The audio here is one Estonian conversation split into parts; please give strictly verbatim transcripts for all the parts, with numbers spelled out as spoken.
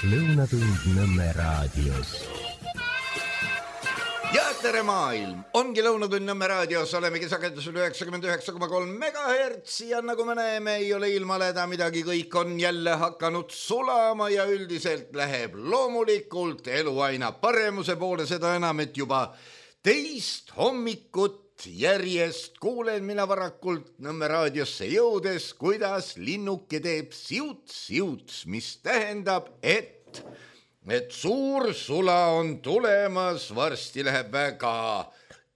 Lõunatund Nõmme raadios. Ja tere maailm, ongi Lõunatund Nõmme raadios, olemegi sagedusel üheksakümmend üheksa koma kolm megahertsi ja nagu me näeme, ei ole ilmaleda midagi, kõik on jälle hakanud sulama ja üldiselt läheb loomulikult elu aina paremuse poole, seda enam, et juba teist hommikut järjest kuulen mina varakult Nõmme raadiosse jõudes, kuidas linnuke teeb siuts-siuts, mis tähendab, et et suur sula on tulemas, varsti läheb väga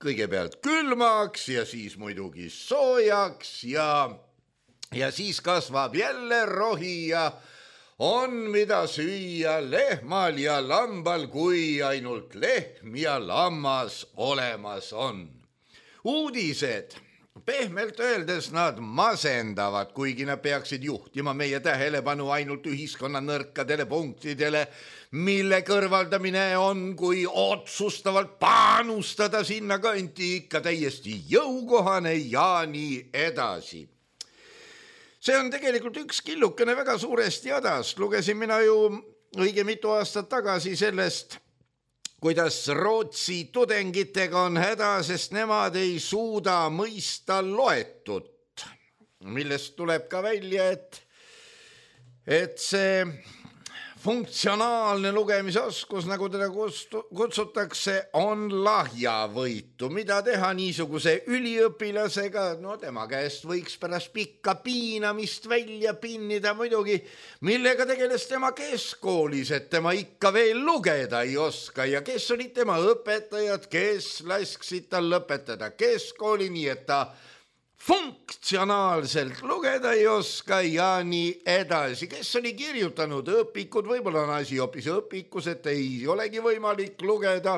kõigepealt külmaks ja siis muidugi soojaks ja, ja siis kasvab jälle rohi ja on mida süüa lehmal ja lambal, kui ainult lehm ja lammas olemas on. Uudised, pehmelt öeldes nad masendavad, kuigi nad peaksid juhtima meie tähelepanu ainult ühiskonna nõrkadele punktidele, mille kõrvaldamine on, kui otsustavalt panustada sinna kanti ikka täiesti jõukohane ja nii edasi. See on tegelikult üks killukene väga suuresti hädast. Lugesin mina ju õige mitu aastat tagasi sellest, kuidas Rootsi tudengitega on häda, sest nemad ei suuda mõista loetut, millest tuleb ka välja, et, et see funktsionaalne lugemisoskus, nagu teda kutsutakse, on lahjavõitu. Mida teha niisuguse üliõpilasega? No tema käest võiks pärast pikka piinamist välja pinnida muidugi, millega tegeles tema keskkoolis, et tema ikka veel lugeda ei oska ja kes olid tema õpetajad, kes lasksid tal lõpetada keskkooli, nii et ta funktsionaalselt lugeda ei oska ja nii edasi. Kes oli kirjutanud õpikud, võib-olla on asi hoopis õpikus, et ei olegi võimalik lugeda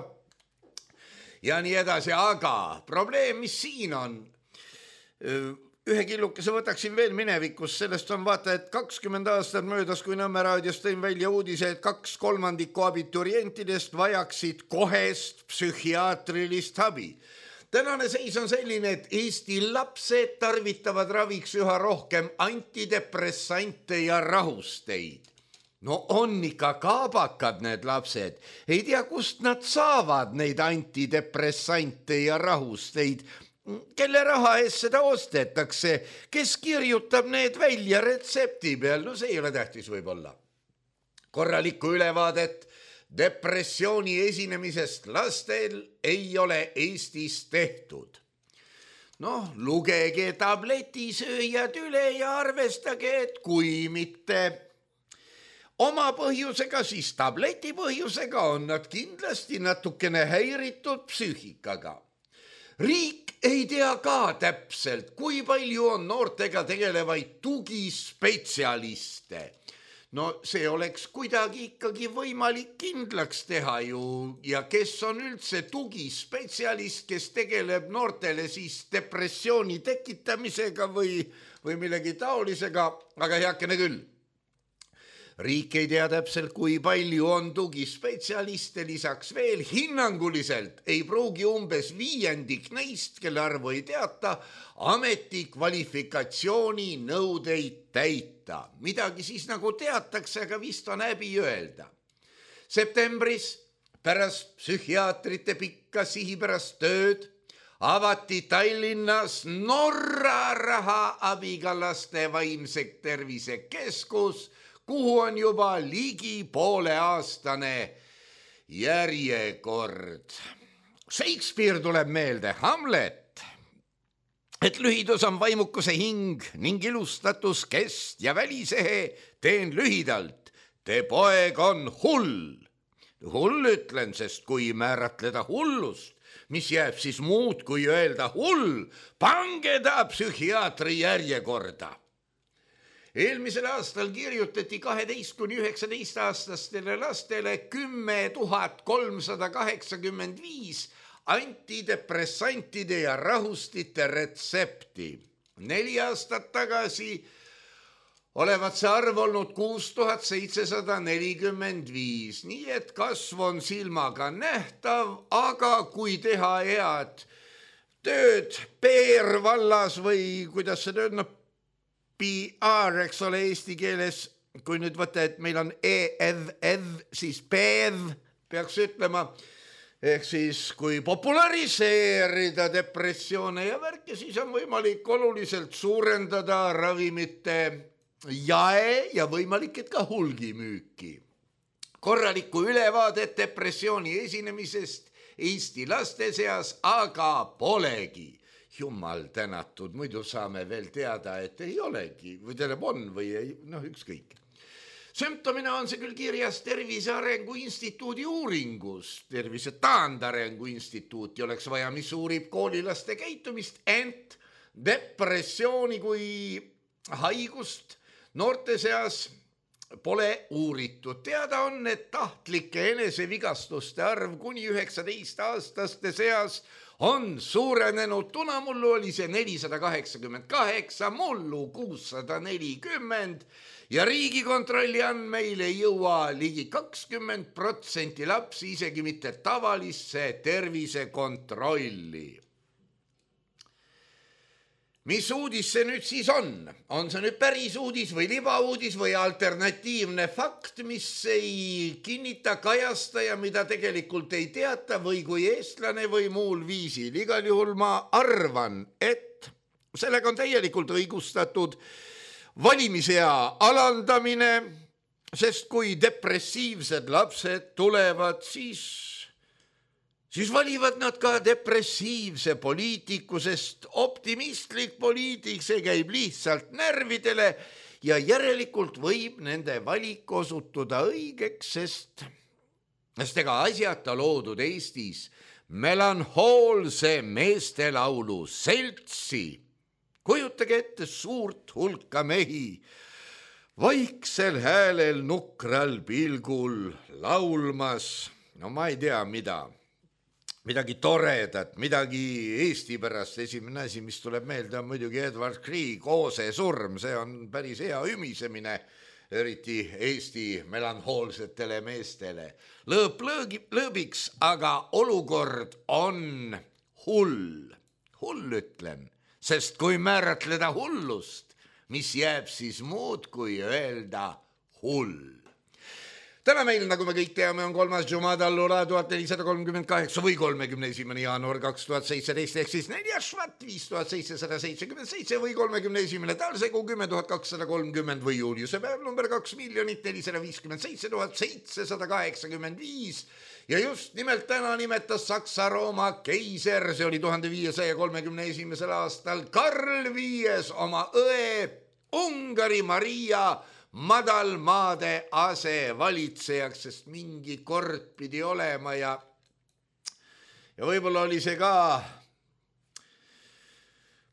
ja nii edasi, aga probleem, mis siin on, ühe killukese võtaksin veel minevikus, sellest on vaata, et kakskümmend aastat möödas, kui Nõmme raadios tõin välja uudise, et kaks kolmandikku abiturientidest vajaksid kohest psühhiaatrilist abi. Tänane seis on selline, et Eesti lapsed tarvitavad raviks üha rohkem antidepressante ja rahusteid. No on ikka kaabakad need lapsed. Ei tea, kust nad saavad neid antidepressante ja rahusteid. Kelle raha eest seda ostetakse? Kes kirjutab need välja retsepti peal? No see ei ole tähtis võib-olla. Korralikku ülevaadet depressiooni esinemisest lastel ei ole Eestis tehtud. Noh, lugege tabletisööjad üle ja arvestage, et kui mitte oma põhjusega, siis tableti põhjusega on nad kindlasti natukene häiritud psüühikaga. Riik ei tea ka täpselt, kui palju on noortega tegelevaid tugispetsialiste. No see oleks kuidagi ikkagi võimalik kindlaks teha ju ja kes on üldse tugispetsialist, kes tegeleb noortele siis depressiooni tekitamisega või, või millegi taolisega, aga heakene küll. Riik ei tea täpselt, kui palju on tugispetsialiste, lisaks veel hinnanguliselt ei pruugi umbes viiendik neist, kelle arvu ei teata, ameti kvalifikatsiooni nõudeid täita. Midagi siis nagu teatakse, aga vist on häbi öelda. Septembris pärast psühhiaatrite pikka sihipärast tööd avati Tallinnas Norra raha abiga laste vaimse tervise keskus, kuhu on juba ligi poole aastane järjekord. Shakespeare tuleb meelde, Hamlet, et lühidus on vaimukuse hing ning ilustatus kest ja välisehe, teen lühidalt, te poeg on hull. Hull ütlen, sest kui määratleda hullust, mis jääb siis muud kui öelda hull, pange ta psühhiaatri järjekorda. Eelmisel aastal kirjutati kaheteist kuni üheksateist aastastele lastele kümme tuhat kolmsada kaheksakümmend viis antidepressantide ja rahustite retsepti. Neli aastat tagasi olevat see arv olnud kuus tuhat seitsesada nelikümmend viis, nii et kasv on silmaga nähtav, aga kui teha head tööd P R vallas või kuidas see tööd, no P R, eks ole, eesti keeles kui nüüd võtta, et meil on E, Ev, Ev, siis Pev peaks ütlema, ehk siis kui populariseerida depressioone ja värki, siis on võimalik oluliselt suurendada ravimite jae ja võimalik, et ka hulgimüüki. Korralikku ülevaadet depressiooni esinemisest Eesti laste seas aga polegi. Jumal tänatud, muidu saame veel teada, et ei olegi või tähendab on või ei, noh ükskõik. Sümptomina on see küll kirjas Tervise Arengu Instituudi uuringus. Tervise Taandarengu Instituuti oleks vaja, mis uurib koolilaste käitumist, ent depressiooni kui haigust noorte seas pole uuritud. Teada on, et tahtlike enesevigastuste arv kuni üheksateist aastaste seas on suurenenud. Tunamullu oli see nelisada kaheksakümmend kaheksa, mullu kuussada nelikümmend ja Riigikontrolli andmeil ei jõua ligi kakskümmend protsenti lapsi isegi mitte tavalisse tervisekontrolli. Mis uudis see nüüd siis on? On see nüüd päris uudis või libauudis või alternatiivne fakt, mis ei kinnita, kajasta ja mida tegelikult ei teata või kui eestlane või muul viisil? Igal juhul ma arvan, et sellega on täielikult õigustatud valimisea alandamine, sest kui depressiivsed lapsed tulevad, siis... siis valivad nad ka depressiivse poliitiku, sest optimistlik poliitik, see käib lihtsalt närvidele ja järelikult võib nende valik osutuda õigeks, sest, sest ega asjata loodud Eestis melanhoolse meestelaulu seltsi. Kujutage ette suurt hulka mehi, vaiksel häälel nukral pilgul laulmas, no ma ei tea mida. Midagi toredat, midagi Eesti pärast. Esimene asi, mis tuleb meelde, on muidugi Edward Grieg, Oose surm. See on päris hea ümisemine, eriti Eesti melanhoolsetele meestele. Lõõp lõõgi, lõõbiks, aga olukord on hull. Hull ütlen, sest kui määratleda hullust, mis jääb siis muud kui öelda hull. Täna meil, nagu me kõik teame, on kolmas Jumada Allura tuhat nelisada kolmkümmend kaheksa või kolmekümne esimene jaanuar kaks tuhat seitseteist ehk siis neljas švat viis tuhat seitsesada seitsekümmend seitse või kolmekümne esimene talsegu kümme tuhat kakssada kolmkümmend või juuliuse päev number kaks miljonit nelisada viiskümmend seitse tuhat seitsesada kaheksakümmend viis ja just nimelt täna nimetas Saksa-Rooma keiser, see oli tuhande viiesaja kolmekümne esimesel aastal Karl viies oma õe Ungari Maria madalmaade ase valitsejaks, sest mingi kord pidi olema ja, ja võib-olla oli see ka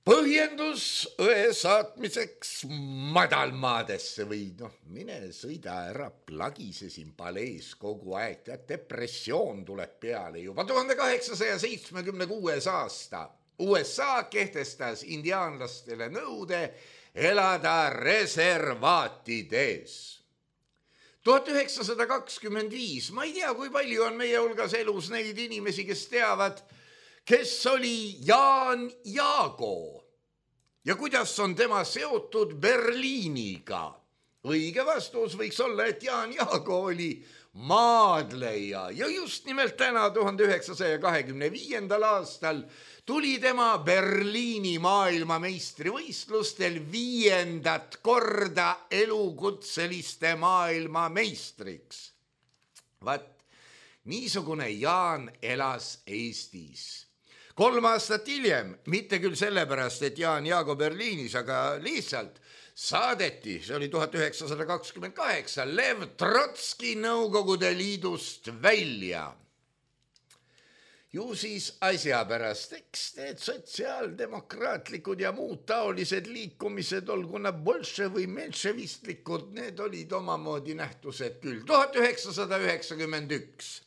põhjendus õe saatmiseks madalmaadesse või noh, mine sõida ära, plagise siin palees kogu aeg, tead, depressioon tuleb peale juba. tuhande kaheksasaja seitsmekümne kuues aasta U S A kehtestas indiaanlastele nõude elada reservaatides. tuhat üheksasada kakskümmend viis, ma ei tea, kui palju on meie hulgas elus neid inimesi, kes teavad, kes oli Jaan Jaago ja kuidas on tema seotud Berliiniga. Õige vastus võiks olla, et Jaan Jaago oli maadleja ja just nimelt täna tuhande üheksasaja kahekümne viiendal aastal tuli tema Berliini maailmameistrivõistlustel viiendat korda elukutseliste maailmameistriks. Vaat, niisugune Jaan elas Eestis. Kolm aastat hiljem, mitte küll sellepärast, et Jaan Jaago Berliinis, aga lihtsalt saadeti, see oli tuhat üheksasada kakskümmend kaheksa, Lev Trotski Nõukogude Liidust välja. Ju siis asja pärast, eks need sotsiaaldemokraatlikud ja muud taolised liikumised, olgu nad bolše või menševistlikud, need olid omamoodi nähtused küll. tuhat üheksasada üheksakümmend üks.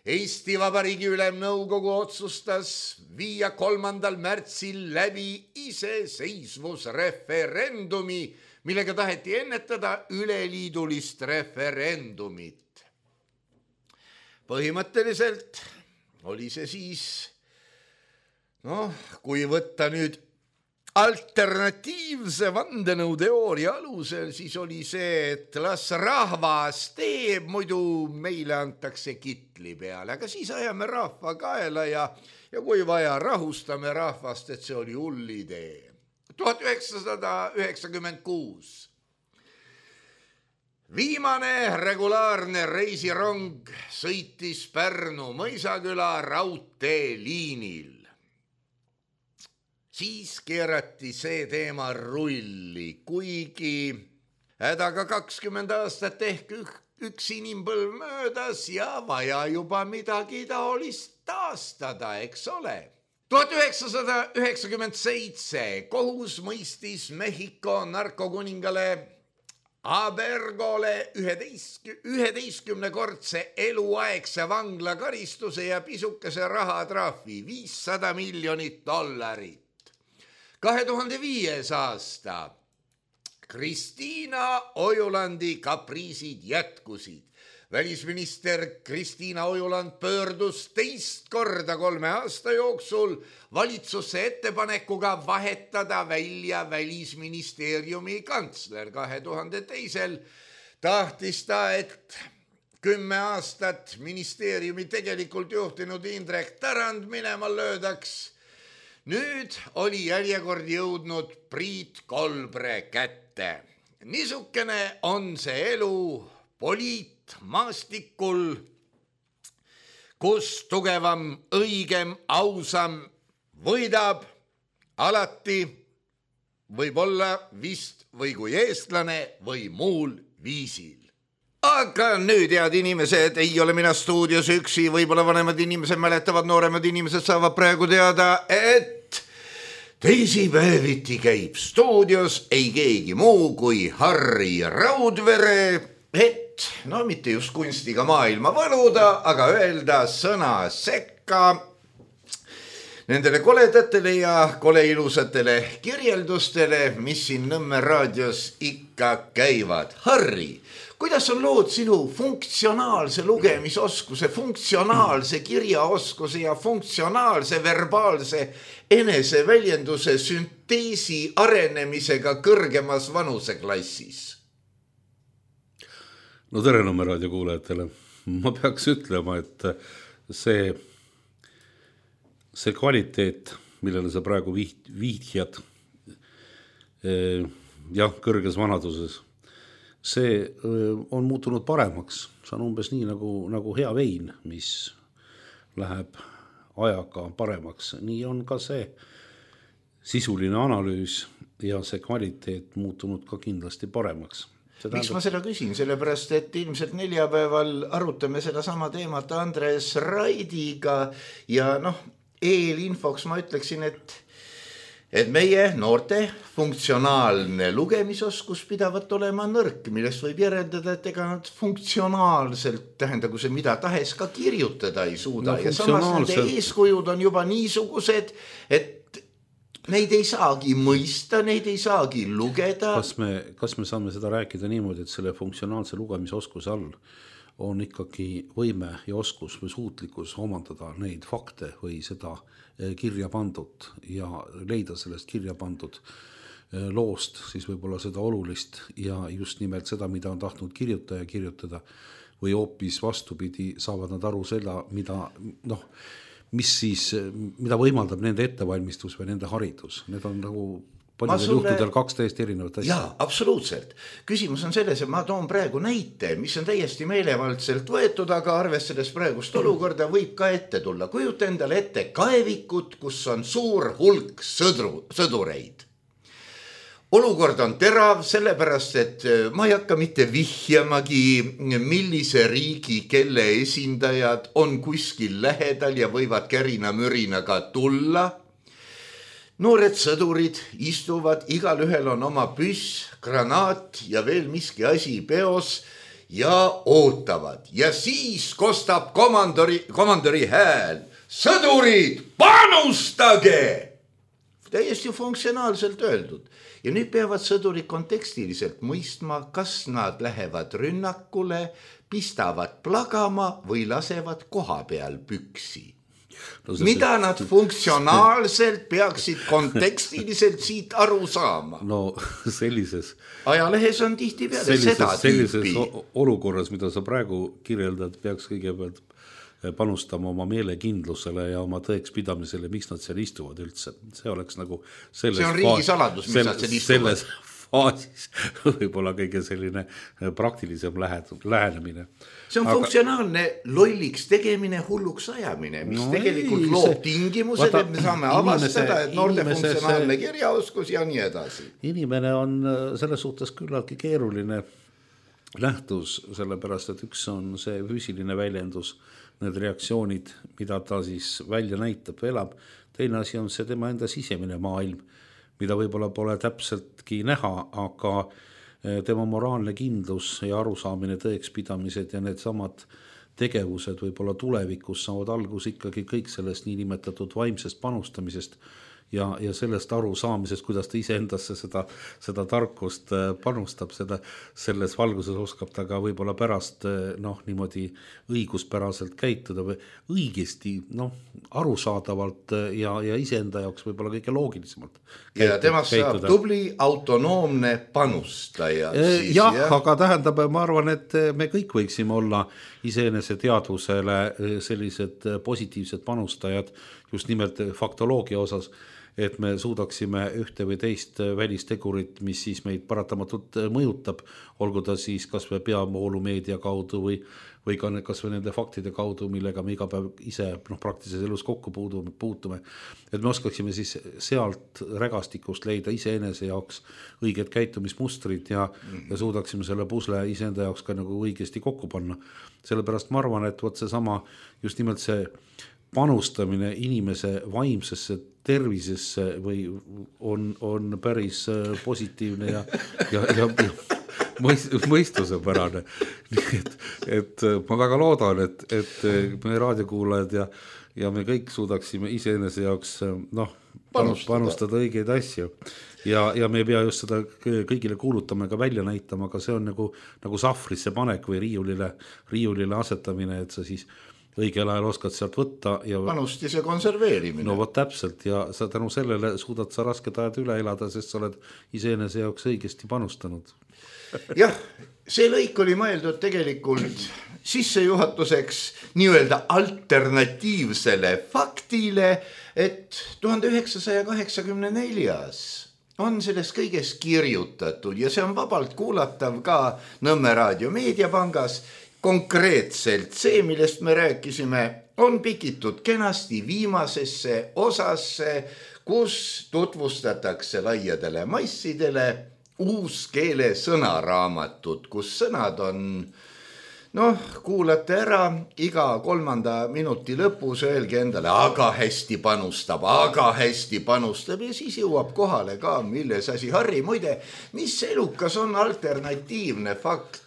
Eesti Vabariigi Ülemnõukogu otsustas viia kolmandal märtsil läbi iseseisvusreferendumi, millega taheti ennetada üleliidulist referendumit. Põhimõtteliselt oli see siis, noh, kui võtta nüüd alternatiivse vandenõuteooria alusel siis oli see, et las rahvas teeb, muidu meile antakse kitli peale, aga siis ajame rahva kaela ja, ja kui vaja, rahustame rahvast, et see oli hull idee. tuhat üheksasada üheksakümmend kuus viimane regulaarne reisirong sõitis Pärnu Mõisaküla raudteeliinil. Siis keerati see teema rulli, kuigi hädaga kakskümmend aastat ehk üks inimpõlv möödas ja vaja juba midagi taolist taastada, eks ole. tuhat üheksasada üheksakümmend seitse kohus mõistis Mehhiko narkokuningale Abergole üheteistkümnekordse eluaegse vanglakaristuse ja pisukese rahatrahvi viissada miljonit dollarit. kahe tuhande viies aasta Kristiina Ojulandi kapriisid jätkusid. Välisminister Kristiina Ojuland pöördus teist korda kolme aasta jooksul valitsusse ettepanekuga vahetada välja Välisministeeriumi kantsler. kahe tuhande teisel tahtis ta, et kümme aastat ministeeriumi tegelikult juhtinud Indrek Tarand minema löödaks. Nüüd oli järjekord jõudnud Priit Kolbre kätte. Niisukene on see elu poliitmaastikul, kus tugevam, õigem, ausam võidab alati, võib-olla vist või kui eestlane või muul viisil. Aga nüüd, head inimesed, ei ole mina stuudios üksi, võib-olla vanemad inimesed mäletavad, nooremad inimesed saavad praegu teada, et teisipäeviti käib stuudios ei keegi muu kui Harri Raudvere, et no mitte just kunstiga maailma võluda, aga öelda sõna sekka nendele koledatele ja koleilusatele kirjeldustele, mis siin Nõmme raadios ikka käivad. Harri, kuidas on lood sinu funktsionaalse lugemisoskuse, funktsionaalse kirjaoskuse ja funktsionaalse verbaalse eneseväljenduse sünteesi arenemisega kõrgemas vanuseklassis? No tere Nõmme raadio kuulajatele. Ma peaks ütlema, et see, see kvaliteet, millele sa praegu viht, vihjad jah, kõrges vanaduses, see on muutunud paremaks. See on umbes nii nagu, nagu hea vein, mis läheb ajaga paremaks. Nii on ka see sisuline analüüs ja see kvaliteet muutunud ka kindlasti paremaks. Tähendab... Miks ma seda küsin? Sellepärast, et ilmselt neljapäeval arutame seda sama teemat Andres Raidiga ja noh, eelinfoks ma ütleksin, et et meie noorte funktsionaalne lugemisoskus pidavat olema nõrk, millest võib järeldada, et ega nad funktsionaalselt, tähendagu see mida tahes, ka kirjutada ei suuda. No, ja samas nende eeskujud on juba niisugused, et neid ei saagi mõista, neid ei saagi lugeda. Kas me, kas me saame seda rääkida niimoodi, et selle funktsionaalse lugemisoskuse all on ikkagi võime ja oskus või suutlikkus omandada neid fakte või seda kirja pandud ja leida sellest kirja pandud loost, siis võib-olla seda olulist ja just nimelt seda, mida on tahtnud kirjutaja kirjutada või hoopis vastupidi, saavad nad aru seda, mida, noh, mis siis, mida võimaldab nende ettevalmistus või nende haridus. Need on nagu paljudel sulle... juhtudel kaks täiesti erinevat asja. Jaa, absoluutselt. Küsimus on selles, et ma toon praegu näite, mis on täiesti meelevaldselt võetud, aga arvestades praegust olukorda võib ka ette tulla. Kujuta endale ette kaevikut, kus on suur hulk sõdru, sõdureid. Olukord on terav, sellepärast, et ma ei hakka mitte vihjamagi, millise riigi, kelle esindajad on kuskil lähedal ja võivad kärina mürinaga tulla. Noored sõdurid istuvad, igal ühel on oma püss, granaat ja veel miski asi peos ja ootavad. Ja siis kostab komandori, komandori hääl. Sõdurid, panustage! Täiesti funktsionaalselt öeldud. Ja nüüd peavad sõdurid kontekstiliselt mõistma, kas nad lähevad rünnakule, pistavad plagama või lasevad koha peal püksi. no, mida see... nad funktsionaalselt peaksid kontekstiliselt siit aru saama? No sellises ajalehes on tihti peale sellises, seda sellises tüüpi. Olukorras, mida sa praegu kirjeldad, peaks kõigepealt panustama oma meelekindlusele ja oma tõekspidamisele, miks nad seal istuvad üldse. See oleks nagu selles see on riigisaladus, miks nad seal istuvad. Selles faasis võib-olla kõige selline praktilisem lähenemine. See on Aga... funktsionaalne lolliks tegemine, hulluks ajamine, mis no tegelikult ei, loob see... tingimused, Vaata, et me saame avastada, et noorte funktsionaalne see... kirjaoskus ja nii edasi. Inimene on selles suhtes küllaltki keeruline lähtus, sellepärast, et üks on see füüsiline väljendus, need reaktsioonid, mida ta siis välja näitab, elab. Teine asi on see tema enda sisemine maailm, mida võib-olla pole täpseltki näha, aga tema moraalne kindlus ja arusaamine, tõekspidamised ja need samad tegevused võib-olla tulevikus saavad algus ikkagi kõik sellest niinimetatud vaimsest panustamisest ja, ja sellest aru saamisest, kuidas ta iseendasse seda, seda tarkust panustab, seda, selles valguses oskab ta ka võib-olla pärast noh, niimoodi õiguspäraselt käituda või õigesti noh, arusaadavalt ja, ja iseenda jaoks võib-olla kõige loogilisemalt käituda. Ja temast saab tubli autonoomne panustaja. Siis, jah, jah, aga tähendab, ma arvan, et me kõik võiksime olla iseenese teadvusele sellised positiivsed panustajad just nimelt faktoloogia osas, et me suudaksime ühte või teist välistegurit, mis siis meid paratamatult mõjutab, olgu ta siis kas või peavoolumeedia kaudu või, või ka kas või nende faktide kaudu, millega me iga päev ise noh, praktilises elus kokku puutume. Et me oskaksime siis sealt rägastikust leida iseenese jaoks õiged käitumismustrid ja, mm-hmm. ja suudaksime selle pusle iseenda jaoks ka nagu õigesti kokku panna. Sellepärast ma arvan, et võt see sama just nimelt see panustamine inimese vaimsesse tervisesse või on, on päris positiivne ja, ja, ja mõistusepärane. Et, et ma väga loodan, et, et meie raadiokuulajad ja, ja me kõik suudaksime iseenese jaoks noh, panustada, panustada õigeid asju. Ja, ja me ei pea just seda kõigile kuulutama ega välja näitama, aga see on nagu, nagu sahvrisse panek või riiulile, riiulile asetamine, et sa siis õigel ajal oskad sealt võtta. Ja panustise konserveerimine. No vot täpselt ja sa tänu sellele suudad sa rasked ajad üle elada, sest sa oled iseenese jaoks õigesti panustanud. Jah, see lõik oli mõeldud tegelikult sissejuhatuseks nii-öelda alternatiivsele faktile, et tuhande üheksasaja kaheksakümne neljas on sellest kõigest kirjutatud ja see on vabalt kuulatav ka Nõmme Raadio Meediapangas. Konkreetselt see, millest me rääkisime, on pikitud kenasti viimasesse osasse, kus tutvustatakse laiadele massidele uus keele sõnaraamatut, kus sõnad on, noh, kuulate ära, iga kolmanda minuti lõpus öelge endale, aga hästi panustab, aga hästi panustab ja siis jõuab kohale ka, milles asi. Harri, muide, mis elukas on alternatiivne fakt?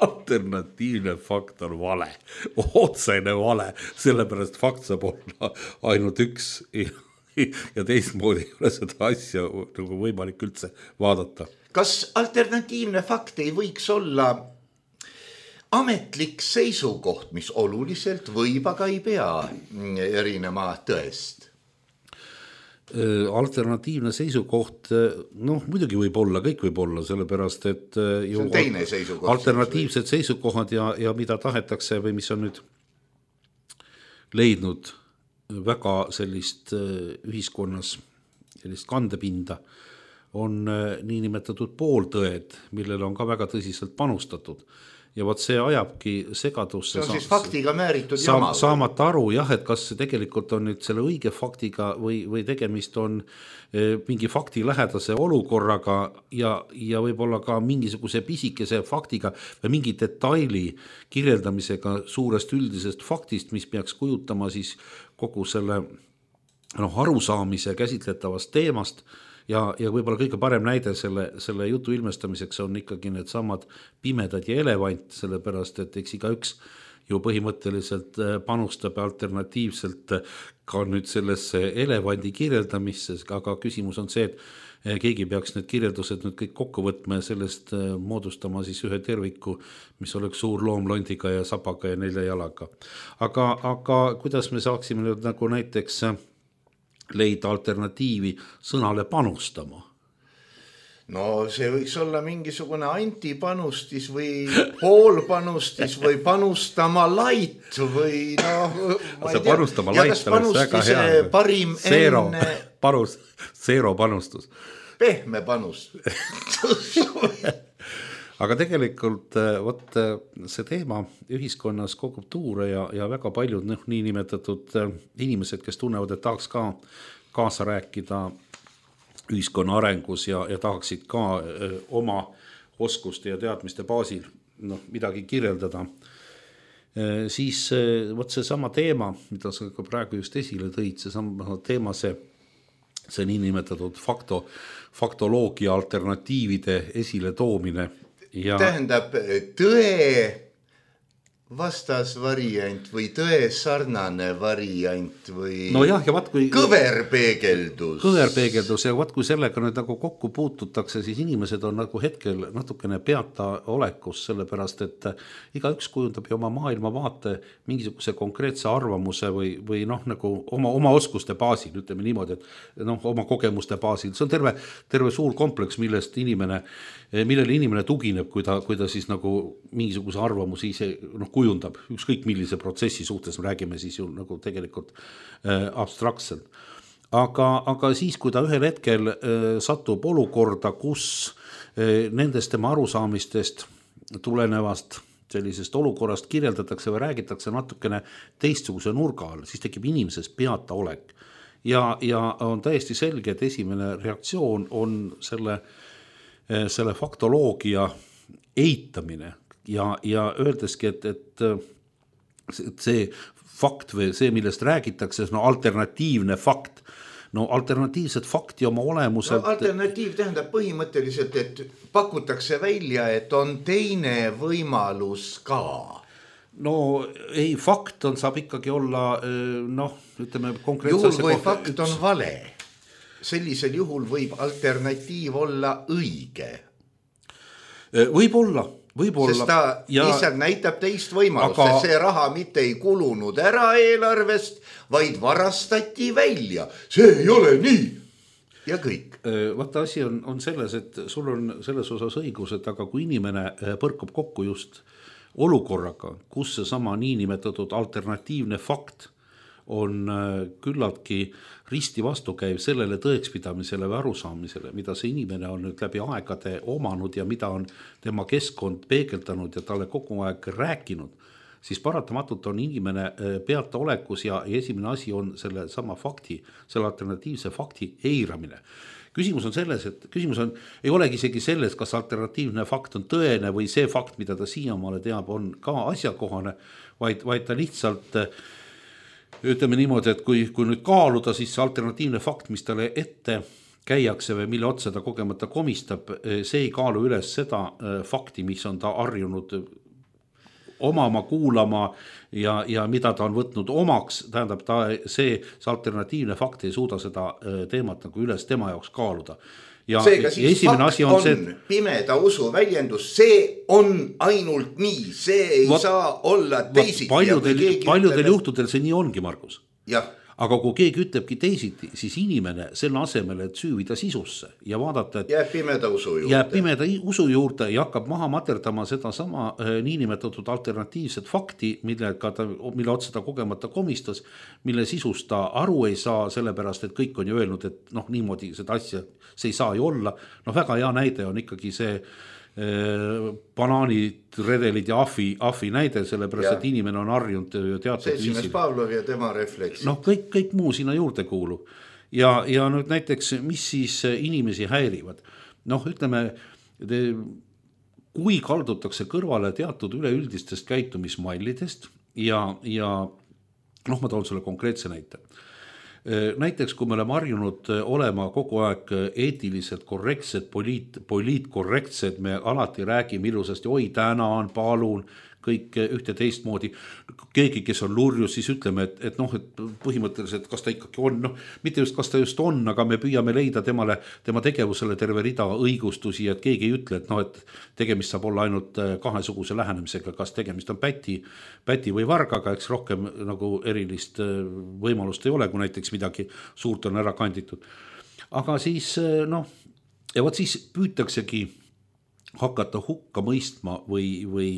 Alternatiivne fakt on vale, otsene vale, sellepärast fakt saab olla ainult üks ja teistmoodi ei ole seda asja nagu võimalik üldse vaadata. Kas alternatiivne fakt ei võiks olla ametlik seisukoht, mis oluliselt võib, aga ei pea erinema tõest? Alternatiivne seisukoht, noh muidugi võib olla, kõik võib olla, sellepärast et see on teine seisukoht. Alternatiivsed seisukohad ja, ja mida tahetakse või mis on nüüd leidnud väga sellist ühiskonnas, sellist kandepinda, on niinimetatud pooltõed, millele on ka väga tõsiselt panustatud. Ja võt see ajabki segadusse. See on siis faktiga määritud jama. Saamata aru, jah, et kas tegelikult on nüüd selle õige faktiga või, või tegemist on mingi fakti lähedase olukorraga ja, ja võib-olla ka mingisuguse pisikese faktiga või mingi detaili kirjeldamisega suurest üldisest faktist, mis peaks kujutama siis kogu selle noh, arusaamise käsitletavast teemast. Ja, ja võib-olla kõige parem näide selle, selle jutu ilmestamiseks on ikkagi need samad pimedad ja elevant, sellepärast et eks iga üks ju põhimõtteliselt panustab alternatiivselt ka nüüd sellesse elevandi kirjeldamisse, aga küsimus on see, et keegi peaks need kirjeldused nüüd kõik kokku võtma ja sellest moodustama siis ühe terviku, mis oleks suur loom londiga ja sabaga ja nelja jalaga. Aga, aga kuidas me saaksime nüüd nagu näiteks leida alternatiivi sõnale panustama? No see võiks olla mingisugune antipanustis või poolpanustis või panustama lait või noh, ma ei tea. Ja kas panustise parim Zero, enne... Panus, zero panustus. Pehme panustus. Aga tegelikult võt, see teema ühiskonnas kogub tuure ja, ja väga paljud noh, nii nimetatud inimesed, kes tunnevad, et tahaks ka kaasa rääkida ühiskonna arengus ja, ja tahaksid ka öö, oma oskuste ja teadmiste baasil noh, midagi kirjeldada, e, siis võt see sama teema, mida sa ka praegu just esile tõid, see sama teema, see, see nii nimetatud fakto, faktoloogia alternatiivide esile toomine. Ja... tähendab tõe vastas variant või tõe sarnane variant või no jah, ja vaat, kui... kõverpeegeldus. Kõverpeegeldus ja vaat kui sellega nüüd nagu kokku puututakse, siis inimesed on nagu hetkel natukene peata olekus, sellepärast et iga üks kujundab ju oma maailma vaate mingisuguse konkreetse arvamuse või, või noh, nagu oma, oma oskuste baasil, ütleme niimoodi, et noh, oma kogemuste baasil. See on terve, terve suur kompleks, millest inimene, millele inimene tugineb, kui ta, kui ta siis nagu mingisuguse arvamusi ise noh, kujundab, ükskõik millise protsessi suhtes me räägime siis ju nagu tegelikult äh, abstraktselt. Aga, aga siis, kui ta ühel hetkel äh, satub olukorda, kus äh, nendest tema arusaamistest tulenevast sellisest olukorrast kirjeldatakse või räägitakse natukene teistsuguse nurga all, siis tekib inimeses peata olek. Ja, ja on täiesti selge, et esimene reaktsioon on selle, äh, selle faktoloogia eitamine. Ja, ja öeldeski, et, et see fakt või see, millest räägitakse, no alternatiivne fakt, no alternatiivset fakti oma olemuselt. No, alternatiiv tähendab põhimõtteliselt, et pakutakse välja, et on teine võimalus ka. No ei, fakt on, saab ikkagi olla, noh, ütleme konkreetse juhul, kui fakt üks... on vale, sellisel juhul võib alternatiiv olla õige. Võib olla. Võibolla, sest ta ja... lihtsalt näitab teist võimalust, aga... see raha mitte ei kulunud ära eelarvest, vaid varastati välja. See ei ole nii. Ja kõik. Vaata, asi on, on selles, et sul on selles osas õigus, et aga kui inimene põrkub kokku just olukorraga, kus see sama niinimetatud alternatiivne fakt on küllaltki risti vastukäiv sellele tõekspidamisele või arusaamisele, mida see inimene on nüüd läbi aegade omanud ja mida on tema keskkond peegeldanud ja talle kogu aeg rääkinud, siis paratamatult on inimene peata olekus ja esimene asi on selle sama fakti, selle alternatiivse fakti eiramine. Küsimus on selles, et küsimus on, ei olegi isegi selles, kas alternatiivne fakt on tõene või see fakt, mida ta siiamaale teab, on ka asjakohane, vaid, vaid ta lihtsalt ütleme niimoodi, et kui, kui nüüd kaaluda, siis see alternatiivne fakt, mis talle ette käiakse või mille otsa ta kogemata komistab, see ei kaalu üles seda fakti, mis on ta harjunud omama, kuulama ja, ja mida ta on võtnud omaks, tähendab ta see, see alternatiivne fakt ei suuda seda teemat nagu üles tema jaoks kaaluda. Ja seega siis fakt on, on see, pimeda usu väljendus, see on ainult nii, see ei va, saa olla teisiti. Paljudel, paljudel ütleb, juhtudel see nii ongi, Margus. Jah. Aga kui keegi ütlebki teisiti, siis inimene selle asemel, et süüvida sisusse ja vaadata, et jääb pimeda usu juurde, jääb pimeda usu juurde ja hakkab maha materdama seda sama äh, niinimetatud alternatiivset fakti, mille, ta, mille otsa ta kogemata komistas, mille sisust ta aru ei saa, sellepärast, et kõik on ju öelnud, et noh, niimoodi seda asja, see ei saa ju olla. No väga hea näide on ikkagi see banaanid, redelid ja ahvi, ahvi näide, sellepärast, ja. Et inimene on harjunud teatud viisil. Pavlov ja tema refleksid. Noh, kõik, kõik muu sinna juurde kuulub. Ja, ja nüüd näiteks, mis siis inimesi häirivad? Noh, ütleme, kui kaldutakse kõrvale teatud üleüldistest käitumismallidest ja, ja noh, ma toon sulle konkreetse näite. Näiteks, kui me oleme harjunud olema kogu aeg eetiliselt korrektsed, poliit, poliitkorrektsed, me alati räägime ilusasti, oi tänan, palun, kõik ühte teistmoodi. Keegi, kes on lurjus, siis ütleme, et, et noh, et põhimõtteliselt kas ta ikkagi on, noh, mitte just kas ta just on, aga me püüame leida temale, tema tegevusele terve rida õigustusi, et keegi ei ütle, et noh, et tegemist saab olla ainult kahesuguse lähenemisega, kas tegemist on päti, päti või vargaga, eks rohkem nagu erilist võimalust ei ole, kui näiteks midagi suurt on ära kanditud. Aga siis noh, ja vot siis püütaksegi hakata hukka mõistma või, või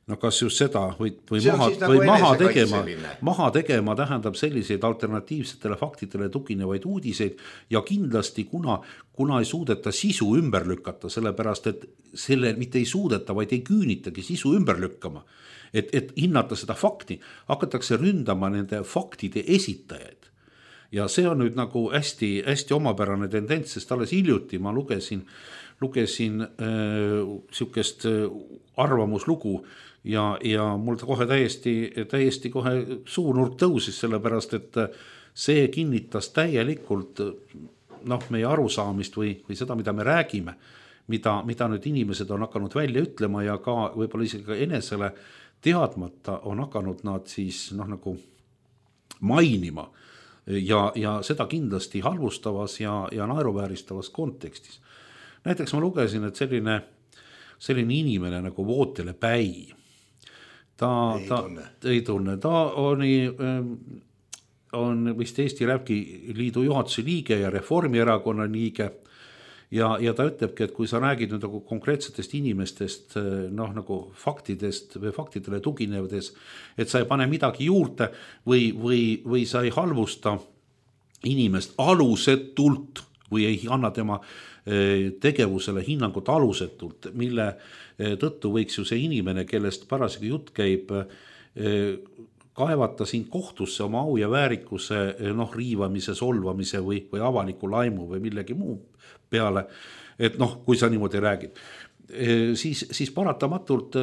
no kas just seda või, või, maha, nagu või maha, tegema, maha tegema tähendab selliseid alternatiivsetele faktidele tuginevaid uudiseid ja kindlasti kuna, kuna ei suudeta sisu ümber lükata, sellepärast et selle mitte ei suudeta, vaid ei küünitagi sisu ümber lükkama, et, et hinnata seda fakti, hakatakse ründama nende faktide esitajaid. Ja see on nüüd nagu hästi, hästi omapärane tendents, sest alles hiljuti ma lugesin, lugesin äh, sihukest arvamuslugu ja, ja mul ta kohe täiesti, täiesti kohe suunurk tõusis, sellepärast et see kinnitas täielikult noh, meie arusaamist või, või seda, mida me räägime, mida, mida nüüd inimesed on hakanud välja ütlema ja ka võib-olla isegi ka enesele teadmata on hakanud nad siis noh, nagu mainima. Ja, ja seda kindlasti halvustavas ja, ja naeruvääristavas kontekstis. Näiteks ma lugesin, et selline, selline inimene nagu Vootele Päi, ta ei, ta, tunne. ei tunne, ta oli, on vist Eesti Räpki-liidu juhatuse liige ja Reformierakonna liige ja, ja ta ütlebki, et kui sa räägid nüüd nagu konkreetsetest inimestest, noh nagu faktidest või faktidele tuginevates, et sa ei pane midagi juurde või, või, või sa ei halvusta inimest alusetult või ei anna tema tegevusele hinnangut alusetult, mille tõttu võiks ju see inimene, kellest parasjagu jutt käib, kaevata sind kohtusse oma au ja väärikuse noh, riivamise, solvamise või, või avaliku laimu või millegi muu peale, et noh, kui sa niimoodi räägid, siis, siis paratamatult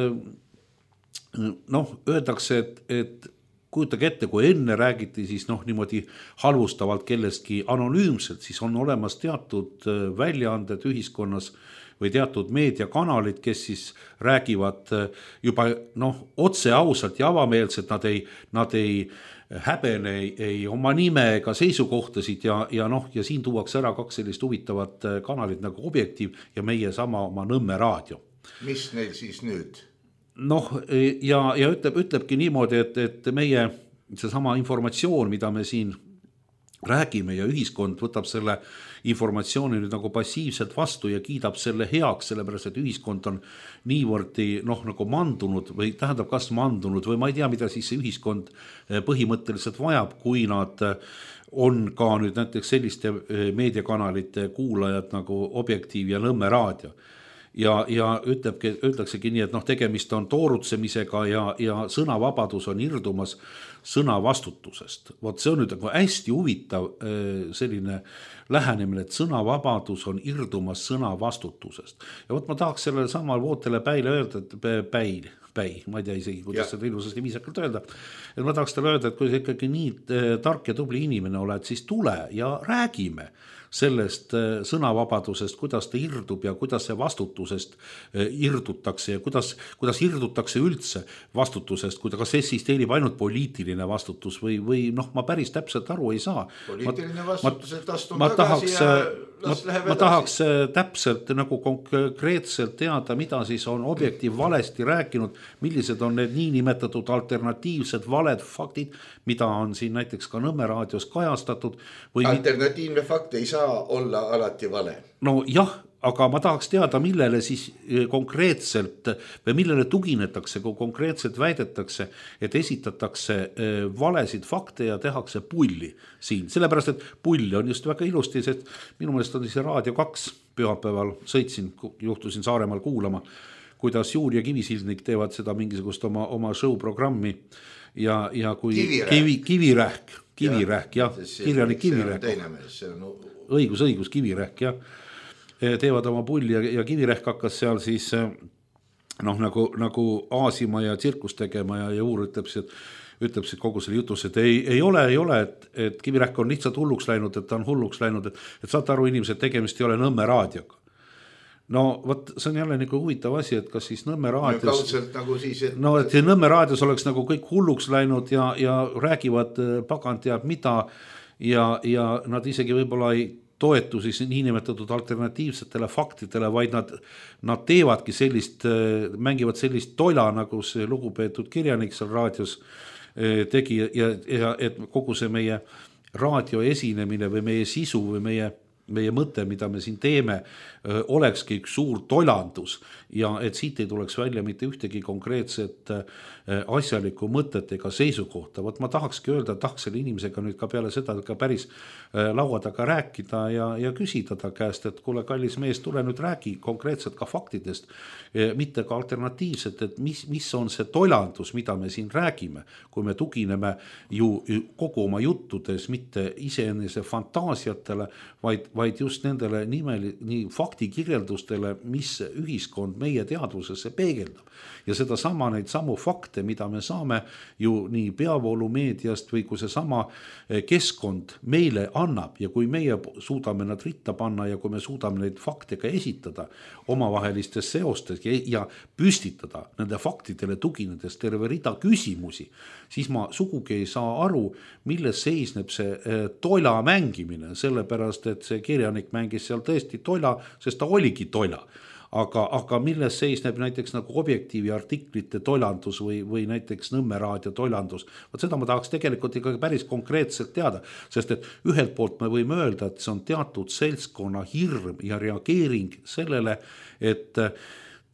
noh, öeldakse, et, et kujutage ette, kui enne räägiti siis noh, niimoodi halvustavalt kellestki anonüümselt, siis on olemas teatud väljaanded ühiskonnas või teatud meediakanalid, kes siis räägivad juba noh, otse ausalt ja avameelselt, nad ei, nad ei häbene ei, ei oma nime ega seisukohtasid ja, ja noh, ja siin tuuakse ära kaks sellist huvitavat kanalit nagu Objektiiv ja meie sama oma Nõmme raadio. Mis neil siis nüüd? Noh, ja, ja ütleb, ütlebki niimoodi, et, et meie seesama informatsioon, mida me siin räägime ja ühiskond võtab selle informatsiooni nüüd nagu passiivselt vastu ja kiidab selle heaks, sellepärast, et ühiskond on niivõrd noh, nagu mandunud või tähendab kas mandunud või ma ei tea, mida siis see ühiskond põhimõtteliselt vajab, kui nad on ka nüüd näiteks selliste meediakanalite kuulajad nagu Objektiiv ja Nõmme raadio. Ja, ja ütlebki, ütleksegi nii, et noh, tegemist on toorutsemisega ja, ja sõnavabadus on irdumas sõna vastutusest. Vot see on nüüd nagu hästi huvitav selline lähenemine, et sõnavabadus on irdumas sõna vastutusest. Ja vot ma tahaks sellele samal Vootele Päile öelda, et päil, päi, ma ei tea isegi, kuidas ja. Seda ilusasti viisakalt öelda. Et ma tahaks talle öelda, et kui sa ikkagi nii tark ja tubli inimene oled, siis tule ja räägime sellest sõnavabadusest, kuidas ta irdub ja kuidas see vastutusest irdutakse ja kuidas, kuidas irdutakse üldse vastutusest, kuidas eksisteerib ainult poliitiline vastutus või, või noh, ma päris täpselt aru ei saa. Poliitiline vastutus, et astun ma tagasi tahaks, ja ma, ma tahaks täpselt nagu konkreetselt teada, mida siis on Objektiiv valesti rääkinud, millised on need niinimetatud alternatiivsed valed faktid, mida on siin näiteks ka Nõmme raadios kajastatud. Või alternatiivne fakt ei saa olla alati vale. No jah, aga ma tahaks teada, millele siis konkreetselt või millele tuginetakse, kui konkreetselt väidetakse, et esitatakse valesid fakte ja tehakse pulli siin. Sellepärast, et pull on just väga ilusti, sest minu meelest on see Raadio kaks pühapäeval sõitsin, juhtusin Saaremaal kuulama, kuidas Juur ja Kivisildnik teevad seda mingisugust oma, oma show programmi ja, ja kui Kivirähk, kivi, kivirähk, kivirähk ja, jah, kirjalik kivirähk. õigus, õigus, kivirähk, jah. Teevad oma pulli ja, ja Kivirähk hakkas seal siis noh, nagu, nagu aasima ja tsirkust tegema ja, ja Uur ütleb, et, ütleb kogu selle jutus, et ei, ei ole, ei ole, et, et Kivirähk on lihtsalt hulluks läinud, et ta on hulluks läinud, et, et saate aru inimesed, tegemist ei ole Nõmme raadioga. no vot, see on jälle nagu huvitav asi, et kas siis Nõmme raadios no, kaudselt nagu siis, et... no, et Nõmme raadios oleks nagu kõik hulluks läinud ja, ja räägivad pagan teab mida ja, ja nad isegi võib-olla ei toetu siis niinimetatud alternatiivsetele faktidele, vaid nad, nad teevadki sellist, mängivad sellist toila, nagu see lugupeetud kirjanik seal raadios tegi ja, ja et kogu see meie raadio esinemine või meie sisu või meie meie mõte, mida me siin teeme, olekski üks suur tolandus ja et siit ei tuleks välja mitte ühtegi konkreetset asjalikku mõtet ega seisukohta. Vot ma tahakski öelda, tahaks selle inimesega nüüd ka peale seda ka päris laua taga rääkida ja, ja küsida ta käest, et kuule, kallis mees, tule nüüd räägi konkreetselt ka faktidest, mitte ka alternatiivset, et mis, mis on see tolandus, mida me siin räägime, kui me tugineme ju kogu oma juttudes mitte iseenese fantaasiatele, vaid vaid just nendele nimeli, nii faktikirjeldustele, mis ühiskond meie teadvusesse peegeldab. Ja seda sama neid samu fakte, mida me saame ju nii peavoolumeediast või kui see sama keskkond meile annab ja kui meie suudame nad ritta panna ja kui me suudame neid fakte ka esitada omavahelistes seostes ja, ja püstitada nende faktidele tuginedes terve rida küsimusi, siis ma sugugi ei saa aru, milles seisneb see toila mängimine, sellepärast et see kirjanik mängis seal tõesti toila, sest ta oligi toila. Aga, aga milles seisneb näiteks nagu Objektiivi artiklite toilandus või, või näiteks Nõmme raadio toilandus. Võt seda ma tahaks tegelikult ikkagi päris konkreetselt teada, sest et ühelt poolt me võime öelda, et see on teatud seltskonna hirm ja reageering sellele, et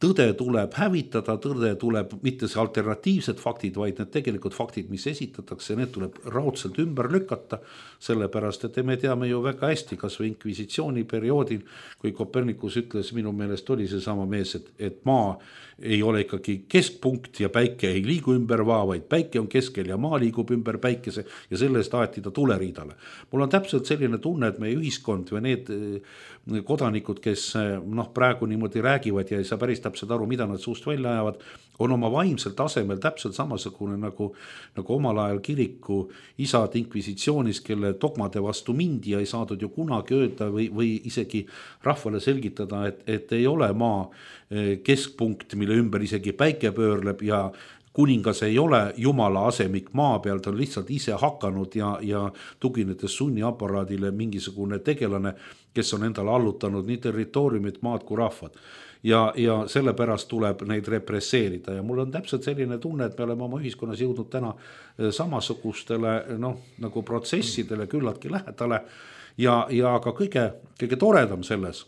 tõde tuleb hävitada, tõde tuleb mitte see alternatiivsed faktid, vaid need tegelikult faktid, mis esitatakse, need tuleb raudselt ümber lükata, sellepärast, et me teame ju väga hästi, kas või inkvisitsiooni perioodil, kui Kopernikus ütles, minu meelest oli see sama mees, et, et maa ei ole ikkagi keskpunkt ja päike ei liigu ümber maa, vaid päike on keskel ja maa liigub ümber päikese ja selle eest aeti ta tuleriidale. Mul on täpselt selline tunne, et meie ühiskond või need kodanikud, kes noh, praegu niimoodi räägivad ja ei saa päris täpselt aru, mida nad suust välja ajavad, on oma vaimsel tasemel täpselt samasugune nagu, nagu omal ajal kiriku isad inkvisitsioonis, kelle dogmade vastu mindi ja ei saadud ju kunagi öelda või, või isegi rahvale selgitada, et, et ei ole maa keskpunkt, mille ümber isegi päike pöörleb ja kuningas ei ole jumala asemik maa peal, ta on lihtsalt ise hakanud ja, ja tuginedes sunniaparaadile mingisugune tegelane, kes on endale allutanud nii territooriumid, maad kui rahvad. Ja, ja sellepärast tuleb neid represseerida ja mul on täpselt selline tunne, et me oleme oma ühiskonnas jõudnud täna samasugustele noh, nagu protsessidele küllaltki lähedale ja, ja ka kõige, kõige toredam selles,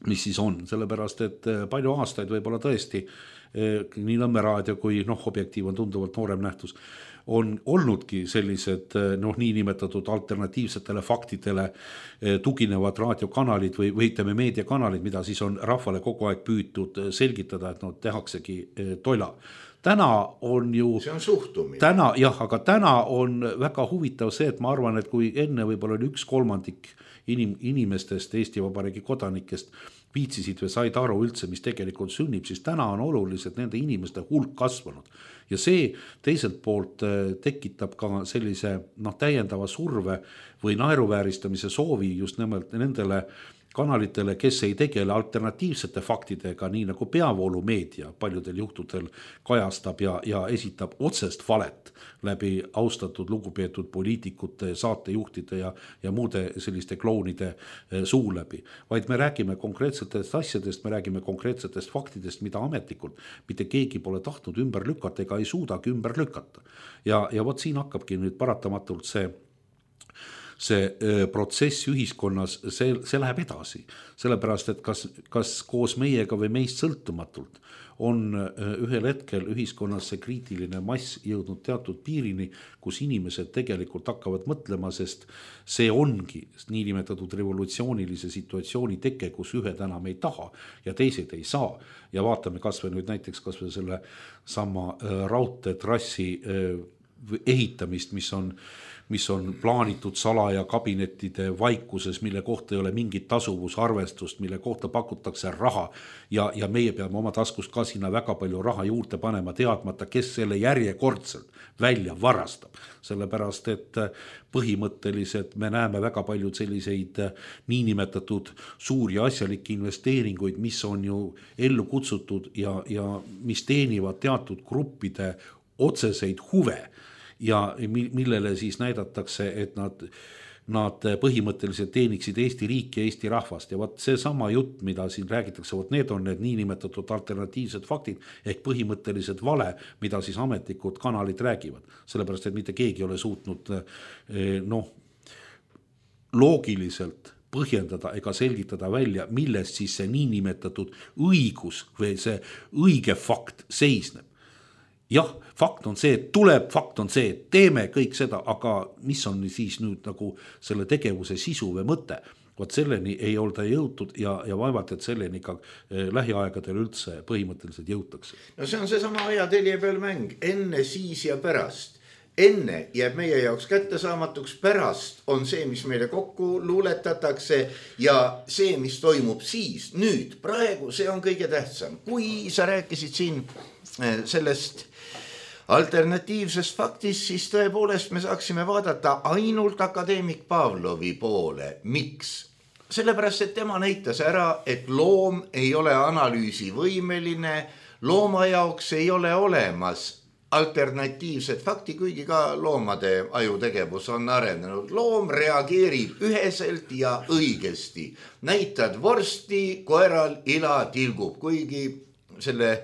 mis siis on, sellepärast et palju aastaid võib-olla tõesti nii Nõmme raadio kui noh, Objektiiv on tunduvalt noorem nähtus, on olnudki sellised noh, niinimetatud alternatiivsetele faktidele tuginevad raadiokanalid või, või ütleme meediakanalid, mida siis on rahvale kogu aeg püütud selgitada, et no tehaksegi toila. Täna on ju... See on suhtumine. Täna, jah, aga täna on väga huvitav see, et ma arvan, et kui enne võib-olla oli üks kolmandik inim, inimestest, Eesti Vabariigi kodanikest viitsisid või said aru üldse, mis tegelikult sünnib, siis täna on oluliselt nende inimeste hulk kasvanud. Ja see teiselt poolt tekitab ka sellise noh, täiendava surve või naeruvääristamise soovi just nimelt nendele kanalitele, kes ei tegele alternatiivsete faktidega, nii nagu peavoolumeedia paljudel juhtudel kajastab ja, ja esitab otsest valet läbi austatud lugupeetud poliitikute, saatejuhtide ja, ja muude selliste klounide suu läbi. Vaid me räägime konkreetsetest asjadest, me räägime konkreetsetest faktidest, mida ametlikult mitte keegi pole tahtnud ümber lükata ega ei suudagi ümber lükata. Ja, ja vot siin hakkabki nüüd paratamatult see see protsess ühiskonnas, see, see läheb edasi. Sellepärast, et kas, kas koos meiega või meist sõltumatult on ühel hetkel ühiskonnas see kriitiline mass jõudnud teatud piirini, kus inimesed tegelikult hakkavad mõtlema, sest see ongi niinimetatud revolutsioonilise situatsiooni teke, kus ühed enam ei taha ja teised ei saa. Ja vaatame kas või nüüd näiteks kas või selle sama raudteetrassi ehitamist, mis on mis on plaanitud salaja kabinettide vaikuses, mille kohta ei ole mingit tasuvusarvestust, mille kohta pakutakse raha ja, ja meie peame oma taskust ka sinna väga palju raha juurde panema, teadmata, kes selle järjekordselt välja varastab. Sellepärast, et põhimõtteliselt me näeme väga palju selliseid niinimetatud suuri asjalikke investeeringuid, mis on ju ellu kutsutud ja, ja mis teenivad teatud gruppide otseseid huve. Ja millele siis näidatakse, et nad, nad põhimõtteliselt teeniksid Eesti riiki ja Eesti rahvast. Ja võt see sama jutt, mida siin räägitakse, võt need on need niinimetatud alternatiivsed faktid ehk põhimõtteliselt vale, mida siis ametlikud kanalid räägivad. Sellepärast, et mitte keegi ei ole suutnud noh, loogiliselt põhjendada ega selgitada välja, millest siis see niinimetatud õigus või see õige fakt seisneb. Jah, fakt on see, et tuleb, fakt on see, et teeme kõik seda, aga mis on siis nüüd nagu selle tegevuse sisu või mõte? Vaat selleni ei olda jõutud ja, ja vaevalt, et selleni ka lähiaegadel üldse põhimõtteliselt jõutakse. No see on see sama ajatelje peal mäng, enne, siis ja pärast. Enne jääb meie jaoks kättesaamatuks, pärast on see, mis meile kokku luuletatakse ja see, mis toimub siis, nüüd, praegu, see on kõige tähtsam. Kui sa rääkisid siin sellest alternatiivsest faktist, siis tõepoolest me saaksime vaadata ainult akadeemik Pavlovi poole. Miks? Sellepärast, et tema näitas ära, et loom ei ole analüüsivõimeline, looma jaoks ei ole olemas alternatiivset fakti, kuigi ka loomade ajutegevus on arenenud. Loom reageerib üheselt ja õigesti. Näitad vorsti, koeral ila tilgub, kuigi selle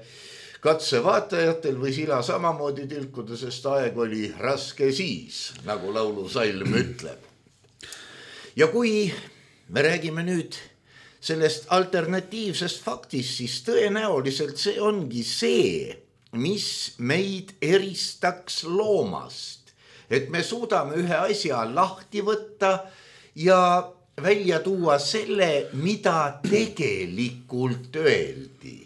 katse vaatajatel võis ila samamoodi tilkuda, sest aeg oli raske siis, nagu laulusalm ütleb. Ja kui me räägime nüüd sellest alternatiivsest faktist, siis tõenäoliselt see ongi see, mis meid eristaks loomast. Et me suudame ühe asja lahti võtta ja välja tuua selle, mida tegelikult öeldi.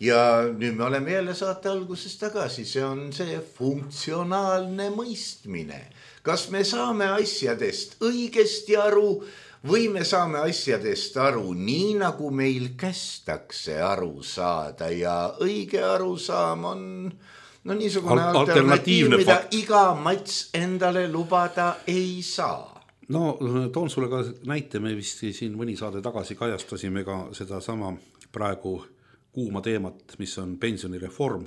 Ja nüüd me oleme jälle saate alguses tagasi, see on see funktsionaalne mõistmine. Kas me saame asjadest õigesti aru või me saame asjadest aru nii, nagu meil kästakse aru saada ja õige arusaam on no, niisugune Al- alternatiiv, mida fakt. Iga mats endale lubada ei saa. No toon sulle ka näite, me vist siin mõni saade tagasi kajastasime ka seda sama praegu kuuma teemat, mis on pensionireform,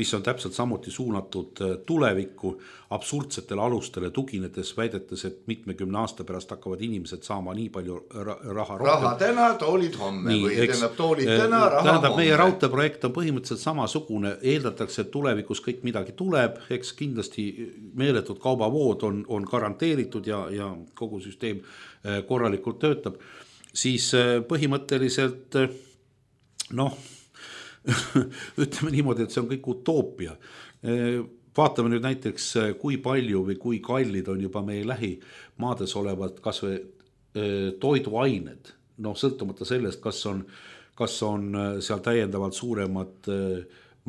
mis on täpselt samuti suunatud tulevikku absurdsetele alustele tuginedes, väidetes, et mitmekümne aasta pärast hakkavad inimesed saama nii palju raha rohkem. Raha täna, toolid homme nii, või tähendab toolid täna, raha tähendab, homme. Meie raudteeprojekt on põhimõtteliselt samasugune, eeldatakse, et tulevikus kõik midagi tuleb, eks kindlasti meeletud kaubavood on, on garanteeritud ja, ja kogu süsteem korralikult töötab, siis põhimõtteliselt noh, ütleme niimoodi, et see on kõik utoopia. Vaatame nüüd näiteks, kui palju või kui kallid on juba meie lähimaades olevad kas või toiduained. No sõltumata sellest, kas on, kas on seal täiendavalt suuremad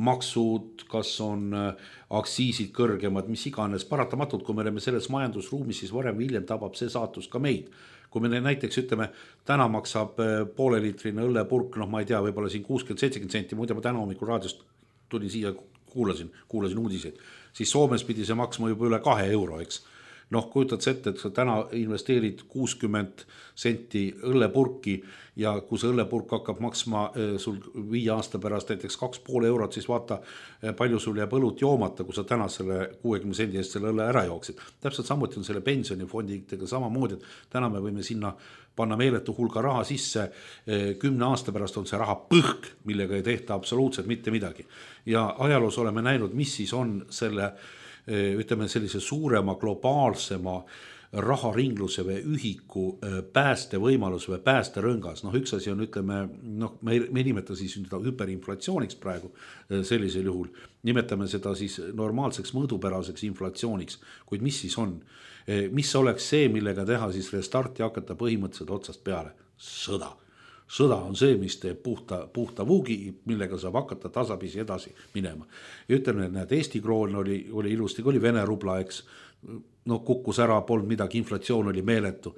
maksud, kas on aktsiisid kõrgemad, mis iganes. Paratamatult, kui me oleme selles majandusruumis, siis varem või hiljem tabab see saatus ka meid. Kui me näiteks ütleme, täna maksab poole liitrine õllepurk, noh ma ei tea, võib-olla siin kuuskümmend seitsekümmend senti, muide ma täna hommikul raadiost tulin siia, kuulasin, kuulasin uudiseid, siis Soomes pidi see maksma juba üle kahe euro, eks. Noh, kujutad ette, et sa täna investeerid kuuskümmend senti õllepurki ja kui see õllepurk hakkab maksma sul viie aasta pärast näiteks kaks poole eurot, siis vaata, palju sul jääb õlut joomata, kui sa täna selle kuuekümne sendi eest selle õlle ära jooksid. Täpselt samuti on selle pensionifondidega samamoodi, et täna me võime sinna panna meeletu hulga raha sisse, kümne aasta pärast on see raha põhk, millega ei tehta absoluutselt mitte midagi. Ja ajaloos oleme näinud, mis siis on selle ütleme sellise suurema globaalsema raharingluse või ühiku pääste võimalus või pääste rõngas. Noh, üks asi on, ütleme, noh, me, me nimeta siis hüperinflatsiooniks praegu sellisel juhul. Nimetame seda siis normaalseks mõõdupäraseks inflatsiooniks. Kuid mis siis on? Mis oleks see, millega teha siis restart ja hakata põhimõtteliselt otsast peale? Sõda. sõda on see, mis teeb puhta, puhta vuugi, millega saab hakata tasapisi edasi minema. Ja ütlen, et näed, Eesti kroon oli, oli ilusti, kui oli Vene rubla, eks, no kukkus ära, polnud midagi, inflatsioon oli meeletu,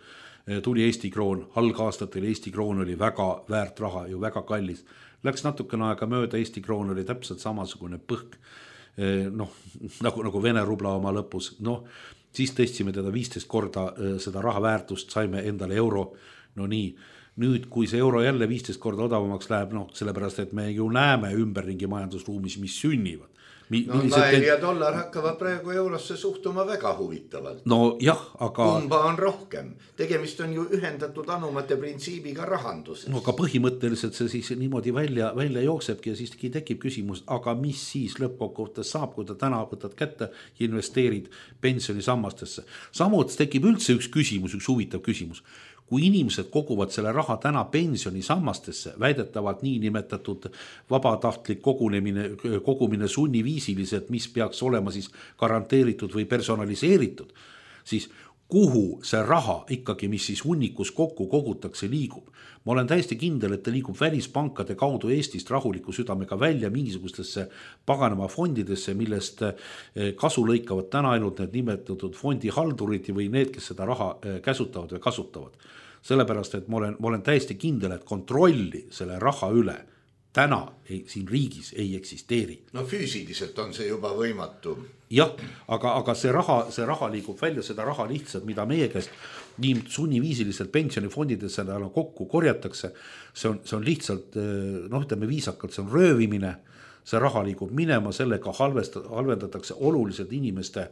tuli Eesti kroon, algaastatel Eesti kroon oli väga väärt raha, ju väga kallis. Läks natukene aega mööda, Eesti kroon oli täpselt samasugune põhk, noh, nagu, nagu Vene rubla oma lõpus, noh, siis tõstsime teda viisteist korda seda raha väärtust, saime endale euro, no nii. Nüüd, kui see euro jälle viisteist korda odavamaks läheb, noh, sellepärast, et me ju näeme ümberringi majandusruumis, mis sünnivad. Mi, no nael ja dollar hakkavad praegu eurosse suhtuma väga huvitavalt. No jah, aga... Kumba on rohkem? Tegemist on ju ühendatud anumate printsiibiga rahanduses. No aga põhimõtteliselt see siis niimoodi välja, välja jooksebki ja siis tekib küsimus, aga mis siis lõppkokkuvõttes saab, kui ta täna võtad kätte ja investeerid pensionisammastesse. Samuti tekib üldse üks küsimus, üks huvitav küsimus. Kui inimesed koguvad selle raha täna pensionisammastesse, väidetavalt nii nimetatud vabatahtlik kogunemine, kogumine sunniviisiliselt, mis peaks olema siis garanteeritud või personaliseeritud, siis kuhu see raha ikkagi, mis siis hunnikus kokku kogutakse, liigub. Ma olen täiesti kindel, et ta liigub välispankade kaudu Eestist rahuliku südamega välja mingisugustesse paganama fondidesse, millest kasu lõikavad täna ainult need nimetatud fondihaldurid või need, kes seda raha käsutavad või kasutavad. Sellepärast, et ma olen, ma olen täiesti kindel, et kontrolli selle raha üle täna ei, siin riigis ei eksisteeri. No füüsiliselt on see juba võimatu. Jah, aga, aga see raha, see raha liigub välja, seda raha lihtsalt, mida meie käest nii sunniviisiliselt pensionifondidesse kokku korjatakse, see on, see on lihtsalt, noh, ütleme viisakalt, see on röövimine, see raha liigub minema, sellega halvendatakse oluliselt inimeste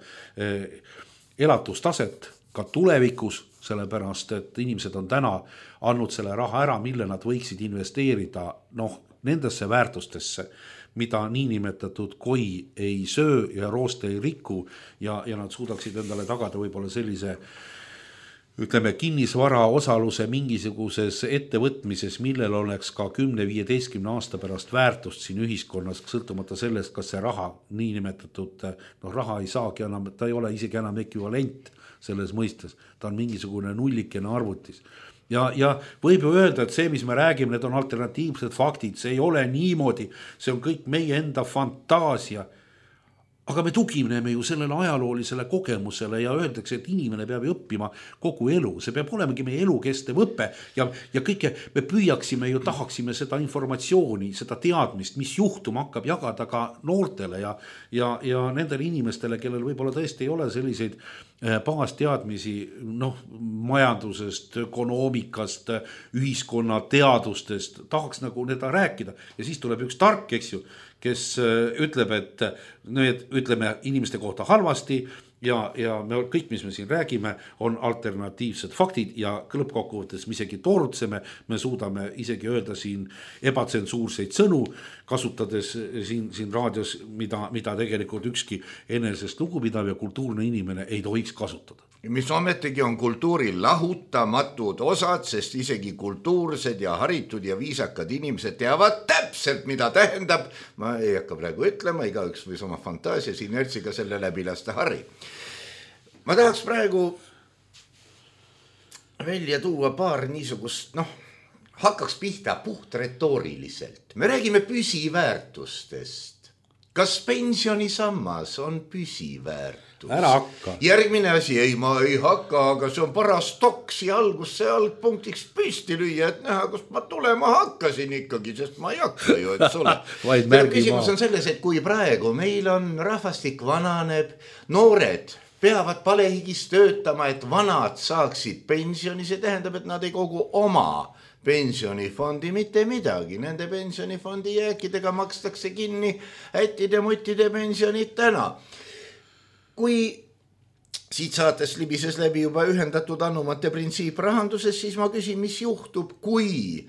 elatustaset ka tulevikus, sellepärast, et inimesed on täna andnud selle raha ära, mille nad võiksid investeerida, noh, nendesse väärtustesse, mida niinimetatud koi ei söö ja rooste ei riku ja, ja nad suudaksid endale tagada võib-olla sellise, ütleme, kinnisvara osaluse mingisuguses ettevõtmises, millel oleks ka kümne viieteistkümne aasta pärast väärtust siin ühiskonnas, sõltumata sellest, kas see raha, niinimetatud, noh, raha ei saagi enam, ta ei ole isegi enam ekvivalent selles mõistes, ta on mingisugune nullikene arvutis. Ja, ja võib ju öelda, et see, mis me räägime, need on alternatiivsed faktid, see ei ole niimoodi, see on kõik meie enda fantaasia. Aga me tugineme ju sellele ajaloolisele kogemusele ja öeldakse, et inimene peab õppima kogu elu. See peab olemegi meie elukestev õppe ja, ja kõike me püüaksime ju, tahaksime seda informatsiooni, seda teadmist, mis juhtuma hakkab jagada ka noortele ja, ja, ja nendele inimestele, kellel võib-olla tõesti ei ole selliseid baasteadmisi, noh, majandusest, ökonoomikast, ühiskonna teadustest, tahaks nagu neda rääkida ja siis tuleb üks tark, eks ju, kes ütleb, et need, ütleme inimeste kohta halvasti ja, ja me kõik, mis me siin räägime, on alternatiivsed faktid ja lõppkokkuvõttes me isegi toorutseme, me suudame isegi öelda siin ebatsensuurseid sõnu, kasutades siin, siin raadios, mida, mida tegelikult ükski enesest lugupidav ja kultuurne inimene ei tohiks kasutada. Mis ometigi on kultuuril lahutamatud osad, sest isegi kultuursed ja haritud ja viisakad inimesed teavad täpselt, mida tähendab. Ma ei hakka praegu ütlema, igaüks võis oma fantaasias inertsiga selle läbi lasta Harri. Ma tahaks praegu välja tuua paar niisugust, noh, hakkaks pihta puht retooriliselt. Me räägime püsiväärtustest. Kas pensionisammas on püsiväärtus? Ära hakka. Järgmine asi, ei ma ei hakka, aga see on paras toksi algus see algpunktiks püsti lüüa, et näha, kust ma tulema hakkasin ikkagi, sest ma ei hakka ju, et sulle. Küsimus on selles, et kui praegu meil on rahvastik vananeb, noored peavad palehigis töötama, et vanad saaksid pensioni, see tähendab, et nad ei kogu oma pensionifondi mitte midagi. Nende pensionifondi jääkidega makstakse kinni ättide muttide pensionid täna. Kui siit saates libises läbi juba ühendatud anumate printsiip rahanduses, siis ma küsin, mis juhtub, kui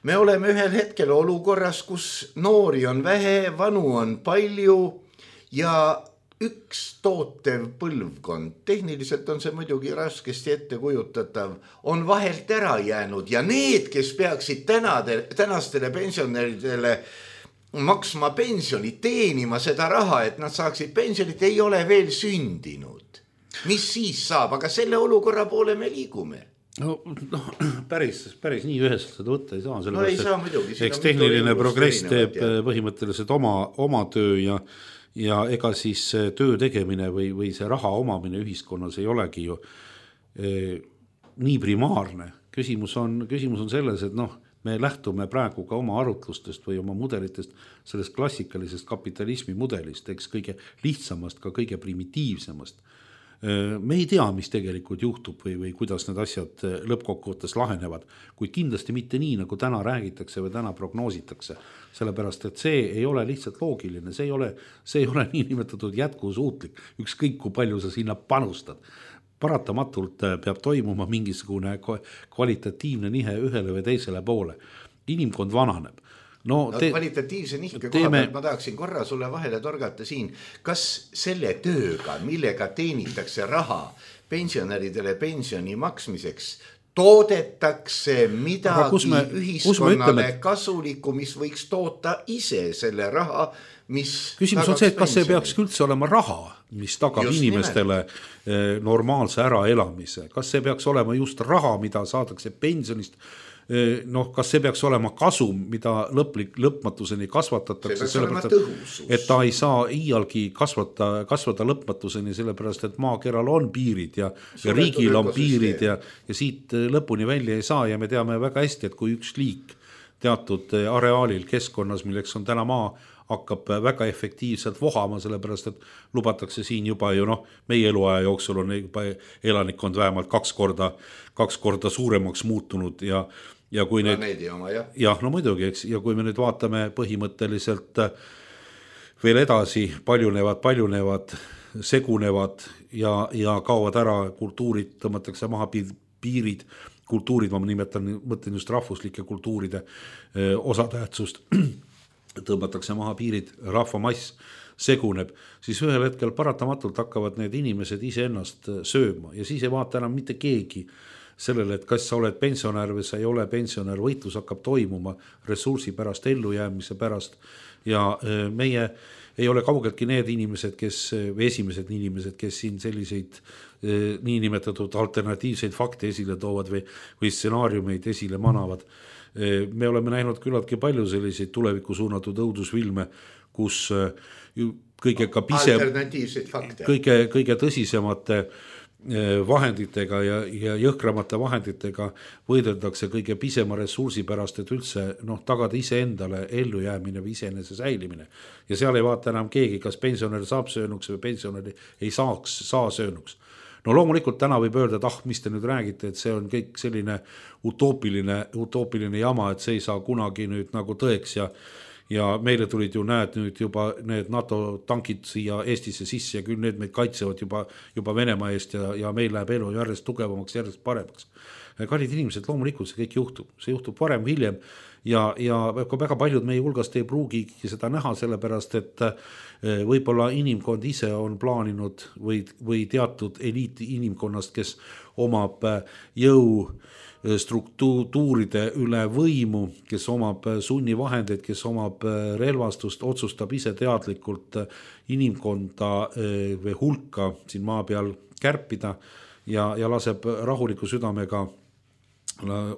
me oleme ühel hetkel olukorras, kus noori on vähe, vanu on palju ja üks tootev põlvkond, tehniliselt on see muidugi raskesti ette kujutatav, on vahelt ära jäänud ja need, kes peaksid tänade, tänastele pensionäridele maksma pensioni, teenima seda raha, et nad saaksid pensionit, ei ole veel sündinud. Mis siis saab, aga selle olukorra poole me liigume. no, no päris, päris nii üheselt seda võtta ei saa, no ei saa muidugi, eks tehniline progress teeb ja põhimõtteliselt oma, oma töö ja, ja ega siis töö tegemine või, või see raha omamine ühiskonnas ei olegi ju eh, nii primaarne. Küsimus on, küsimus on selles, et noh, me lähtume praegu ka oma arutlustest või oma mudelitest sellest klassikalisest kapitalismi mudelist, eks kõige lihtsamast, ka kõige primitiivsemast. Me ei tea, mis tegelikult juhtub või, või kuidas need asjad lõppkokkuvõttes lahenevad, kuid kindlasti mitte nii, nagu täna räägitakse või täna prognoositakse, sellepärast et see ei ole lihtsalt loogiline, see ei ole, see ei ole nii nimetatud jätkusuutlik, ükskõik kui palju sa sinna panustad. Paratamatult peab toimuma mingisugune kvalitatiivne nihe ühele või teisele poole. Inimkond vananeb. No, te, kvalitatiivse nihke koha pealt ma tahaksin korra sulle vahele torgata siin, kas selle tööga, millega teenitakse raha pensionäridele pensioni maksmiseks, toodetakse midagi me, ühiskonnale et... kasulikku, mis võiks toota ise selle raha, mis küsimus on see, et kas see peaks üldse olema raha, mis tagab just inimestele nimelt normaalse äraelamise, kas see peaks olema just raha, mida saadakse pensionist, noh, kas see peaks olema kasum, mida lõplik, lõpmatuseni kasvatatakse, sellepärast, et ta ei saa iialgi kasvata, kasvata lõpmatuseni, sellepärast, et maakeral on piirid ja, ja riigil on piirid ja, ja siit lõpuni välja ei saa ja me teame väga hästi, et kui üks liik teatud areaalil keskkonnas, milleks on täna maa, hakkab väga efektiivselt vohama, sellepärast, et lubatakse siin juba ju noh, meie eluaja jooksul on juba elanikkond vähemalt kaks korda, kaks korda suuremaks muutunud ja ja kui need, oma, jah. jah, no muidugi, eks, ja kui me nüüd vaatame põhimõtteliselt veel edasi, paljunevad, paljunevad, segunevad ja, ja kaovad ära kultuurid, tõmmatakse maha piirid, kultuurid, ma nimetan, mõtlen just rahvuslike kultuuride osatähtsust, tõmmatakse maha piirid, rahvamass seguneb, siis ühel hetkel paratamatult hakkavad need inimesed iseennast sööma ja siis ei vaata enam mitte keegi sellele, et kas sa oled pensionär või sa ei ole pensionär, võitlus hakkab toimuma ressursi pärast, ellujäämise pärast ja meie ei ole kaugeltki need inimesed, kes, või esimesed inimesed, kes siin selliseid niinimetatud alternatiivseid fakte esile toovad või, või stsenaariumeid esile manavad. Me oleme näinud küllaltki palju selliseid tulevikku suunatud õudusfilme, kus kõige, ka pise, kõige, kõige tõsisemate vahenditega ja, ja jõhkramate vahenditega võideldakse kõige pisema ressursi pärast, et üldse noh, tagada iseendale ellujäämine või iseenese säilimine. Ja seal ei vaata enam keegi, kas pensionär saab söönuks või pensionär ei saaks, saa söönuks. No loomulikult täna võib öelda, et ah, mis te nüüd räägite, et see on kõik selline utoopiline, utoopiline jama, et see ei saa kunagi nüüd nagu tõeks ja ja meile tulid ju näed nüüd juba need NATO tankid siia Eestisse sisse ja küll need meid kaitsevad juba, juba Venemaa eest ja, ja meil läheb elu järjest tugevamaks, järjest paremaks. Kallid inimesed, loomulikult see kõik juhtub, see juhtub varem, hiljem ja, ja väga paljud meie hulgast ei pruugigi seda näha, sellepärast et võib-olla inimkond ise on plaaninud või, või teatud eliiti inimkonnast, kes omab jõu struktuuride üle võimu, kes omab sunnivahendeid, kes omab relvastust, otsustab ise teadlikult inimkonda või hulka siin maa peal kärpida ja, ja laseb rahuliku südamega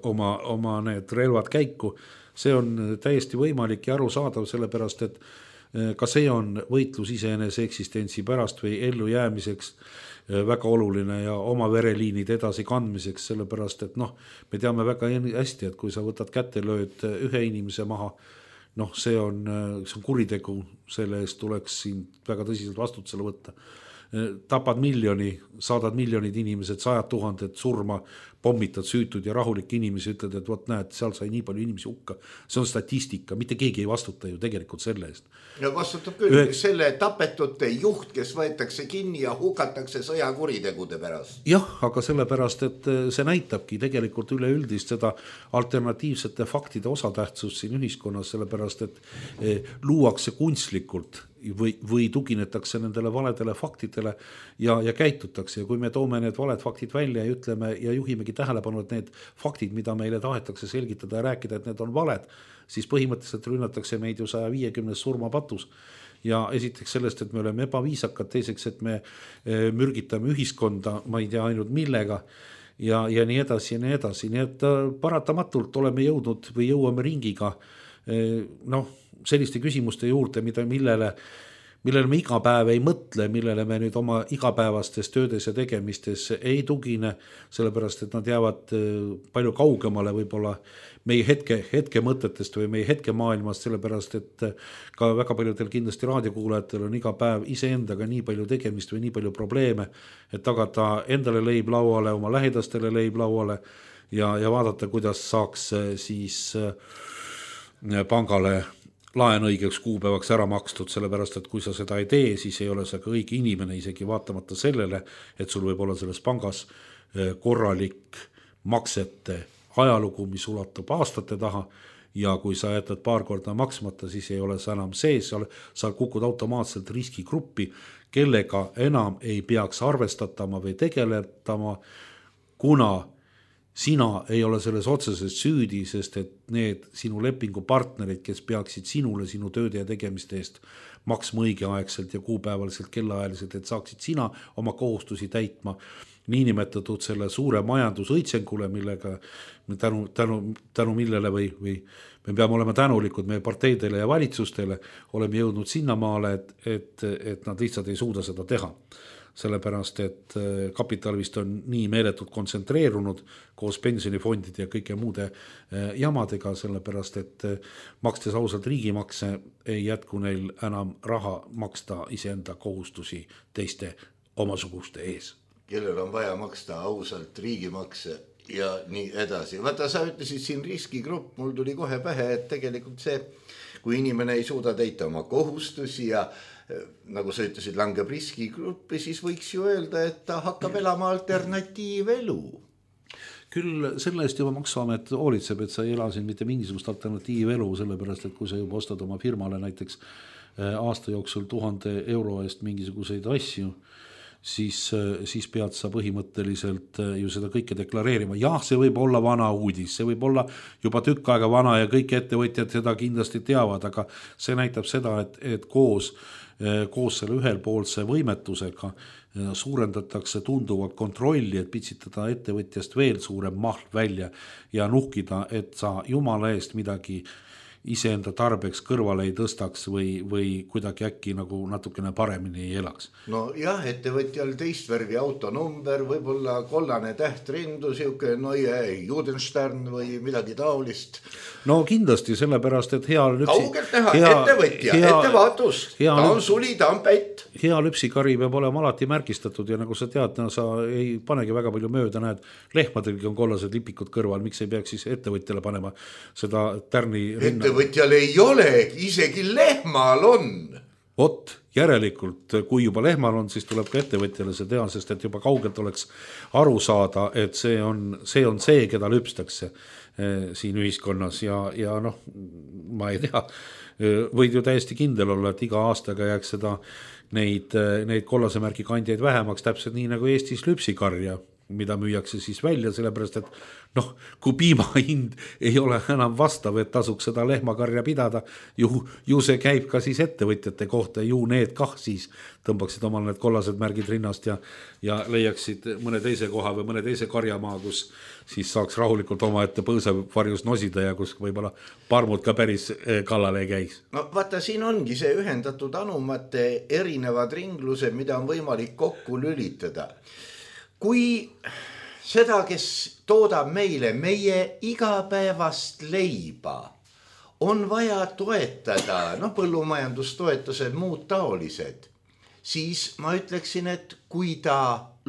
oma, oma need relvad käiku. See on täiesti võimalik ja arusaadav, sellepärast et ka see on võitlus iseenese eksistentsi pärast või ellu jäämiseks väga oluline ja oma vereliinid edasi kandmiseks, sellepärast et noh, me teame väga hästi, et kui sa võtad kätte, lööd ühe inimese maha, noh, see on, see on kuritegu, selle eest tuleks siin väga tõsiselt vastutusele võtta. Tapad miljoni, saadad miljonid inimesed, sajad tuhanded surma, pommitad süütud ja rahulik inimesi, ütled, et vot näed, seal sai nii palju inimesi hukka. See on statistika, mitte keegi ei vastuta ju tegelikult selle eest. Ja vastutab küll Ühe... selle tapetute juht, kes võetakse kinni ja hukatakse sõjakuritegude pärast. Jah, aga sellepärast, et see näitabki tegelikult üleüldist seda alternatiivsete faktide osatähtsust siin ühiskonnas, sellepärast, et luuakse kunstlikult või, või tuginetakse nendele valedele faktidele ja, ja käitutakse. Ja kui me toome need valed faktid välja ja ütleme ja juhimegi tähelepanu, et need faktid, mida meile tahetakse selgitada ja rääkida, et need on valed, siis põhimõtteliselt rünnatakse meid ju saja viiekümnes surmapatus. Ja esiteks sellest, et me oleme ebaviisakad, teiseks, et me mürgitame ühiskonda, ma ei tea ainult millega, ja, ja nii edasi ja nii edasi, nii et paratamatult oleme jõudnud või jõuame ringiga noh, selliste küsimuste juurde, mida, millele millele me iga päev ei mõtle, millele me nüüd oma igapäevastes töödes ja tegemistes ei tugine, sellepärast et nad jäävad palju kaugemale võib-olla meie hetke, hetke mõtetest või meie hetke maailmast, sellepärast et ka väga paljudel kindlasti raadiokuulajatel on iga päev iseendaga nii palju tegemist või nii palju probleeme, et tagada endale leib lauale, oma lähedastele leib lauale ja, ja vaadata, kuidas saaks siis pangale laen õigeks kuupäevaks ära makstud, sellepärast et kui sa seda ei tee, siis ei ole sa ka õige inimene, isegi vaatamata sellele, et sul võib olla selles pangas korralik maksete ajalugu, mis ulatub aastate taha ja kui sa jätad paar korda maksmata, siis ei ole sa enam sees, sa kukud automaatselt riskigruppi, kellega enam ei peaks arvestatama või tegeletama, kuna sina ei ole selles otseses süüdi, sest et need sinu lepingupartnerid, kes peaksid sinule sinu tööde ja tegemiste eest maksma õigeaegselt ja kuupäevaliselt kellaajaliselt, et saaksid sina oma kohustusi täitma, niinimetatud selle suure majandusõitsengule, millega tänu, tänu, tänu millele või, või me peame olema tänulikud meie parteidele ja valitsustele, oleme jõudnud sinnamaale, et, et, et nad lihtsalt ei suuda seda teha. Sellepärast, et kapital vist on nii meeletult kontsentreerunud koos pensionifondide ja kõike muude jamadega, sellepärast, et makstes ausalt riigimakse ei jätku neil enam raha maksta iseenda kohustusi teiste omasuguste ees. Kellel on vaja maksta ausalt riigimakse ja nii edasi. Vaata, sa ütlesid siin riskigrupp, mul tuli kohe pähe, et tegelikult see, kui inimene ei suuda täita oma kohustusi ja nagu sa ütlesid, langeb riskigruppi, siis võiks ju öelda, et ta hakkab elama alternatiivelu. Küll selle eest juba Maksuamet hoolitseb, et sa ei ela siin mitte mingisugust alternatiivelu, sellepärast, et kui sa juba ostad oma firmale näiteks aasta jooksul tuhande euro eest mingisuguseid asju, siis, siis pead sa põhimõtteliselt ju seda kõike deklareerima. Jah, see võib olla vana uudis, see võib olla juba tükk aega vana ja kõik ettevõtjad seda kindlasti teavad, aga see näitab seda, et, et koos, koos selle ühelpoolse võimetusega suurendatakse tunduvalt kontrolli, et pitsitada ettevõtjast veel suurem maht välja ja nuhkida, et sa jumala eest midagi iseenda tarbeks kõrvale ei tõstaks või, või kuidagi äkki nagu natukene paremini ei elaks. No jah, ettevõtjal teist värvi autonumber, võib-olla kollane tähtrindu, siuke Neue Judenstern või midagi taolist. No kindlasti, sellepärast, et hea lüpsi... Kaugelt näha, hea, ettevõtja, hea, ettevaatust, hea, ta on suli, ta on pätt. Hea lüpsikari peab olema alati märgistatud ja nagu sa tead, no, sa ei panegi väga palju mööda, näed, lehmadelgi on kollased lipikud kõrval, miks ei peaks siis ettevõtjale panema seda tärni rinna? Ettevõtjal ei ole, isegi lehmal on. Ot, järelikult, kui juba lehmal on, siis tuleb ka ettevõtjale see teha, sest et juba kaugelt oleks aru saada, et see on see, on see keda lüpstakse eh, siin ühiskonnas ja, ja noh, ma ei tea, võid ju täiesti kindel olla, et iga aastaga jääks seda neid, neid kollasemärgi kandjaid vähemaks, täpselt nii nagu Eestis lüpsikarja, mida müüakse siis välja, sellepärast, et noh, kui piima hind ei ole enam vastav, et tasuks seda lehmakarja pidada, ju, ju see käib ka siis ettevõtjate kohta, ju need kah siis tõmbaksid omal need kollased märgid rinnast ja, ja leiaksid mõne teise koha või mõne teise karjamaa, kus siis saaks rahulikult oma ette põõsevarjus nosida ja kus võib-olla parmud ka päris kallale ei käiks. No vaata, siin ongi see ühendatud anumate erinevad ringlused, mida on võimalik kokku lülitada. Kui seda, kes toodab meile meie igapäevast leiba, on vaja toetada, noh, põllumajandustoetused, muud taolised, siis ma ütleksin, et kui ta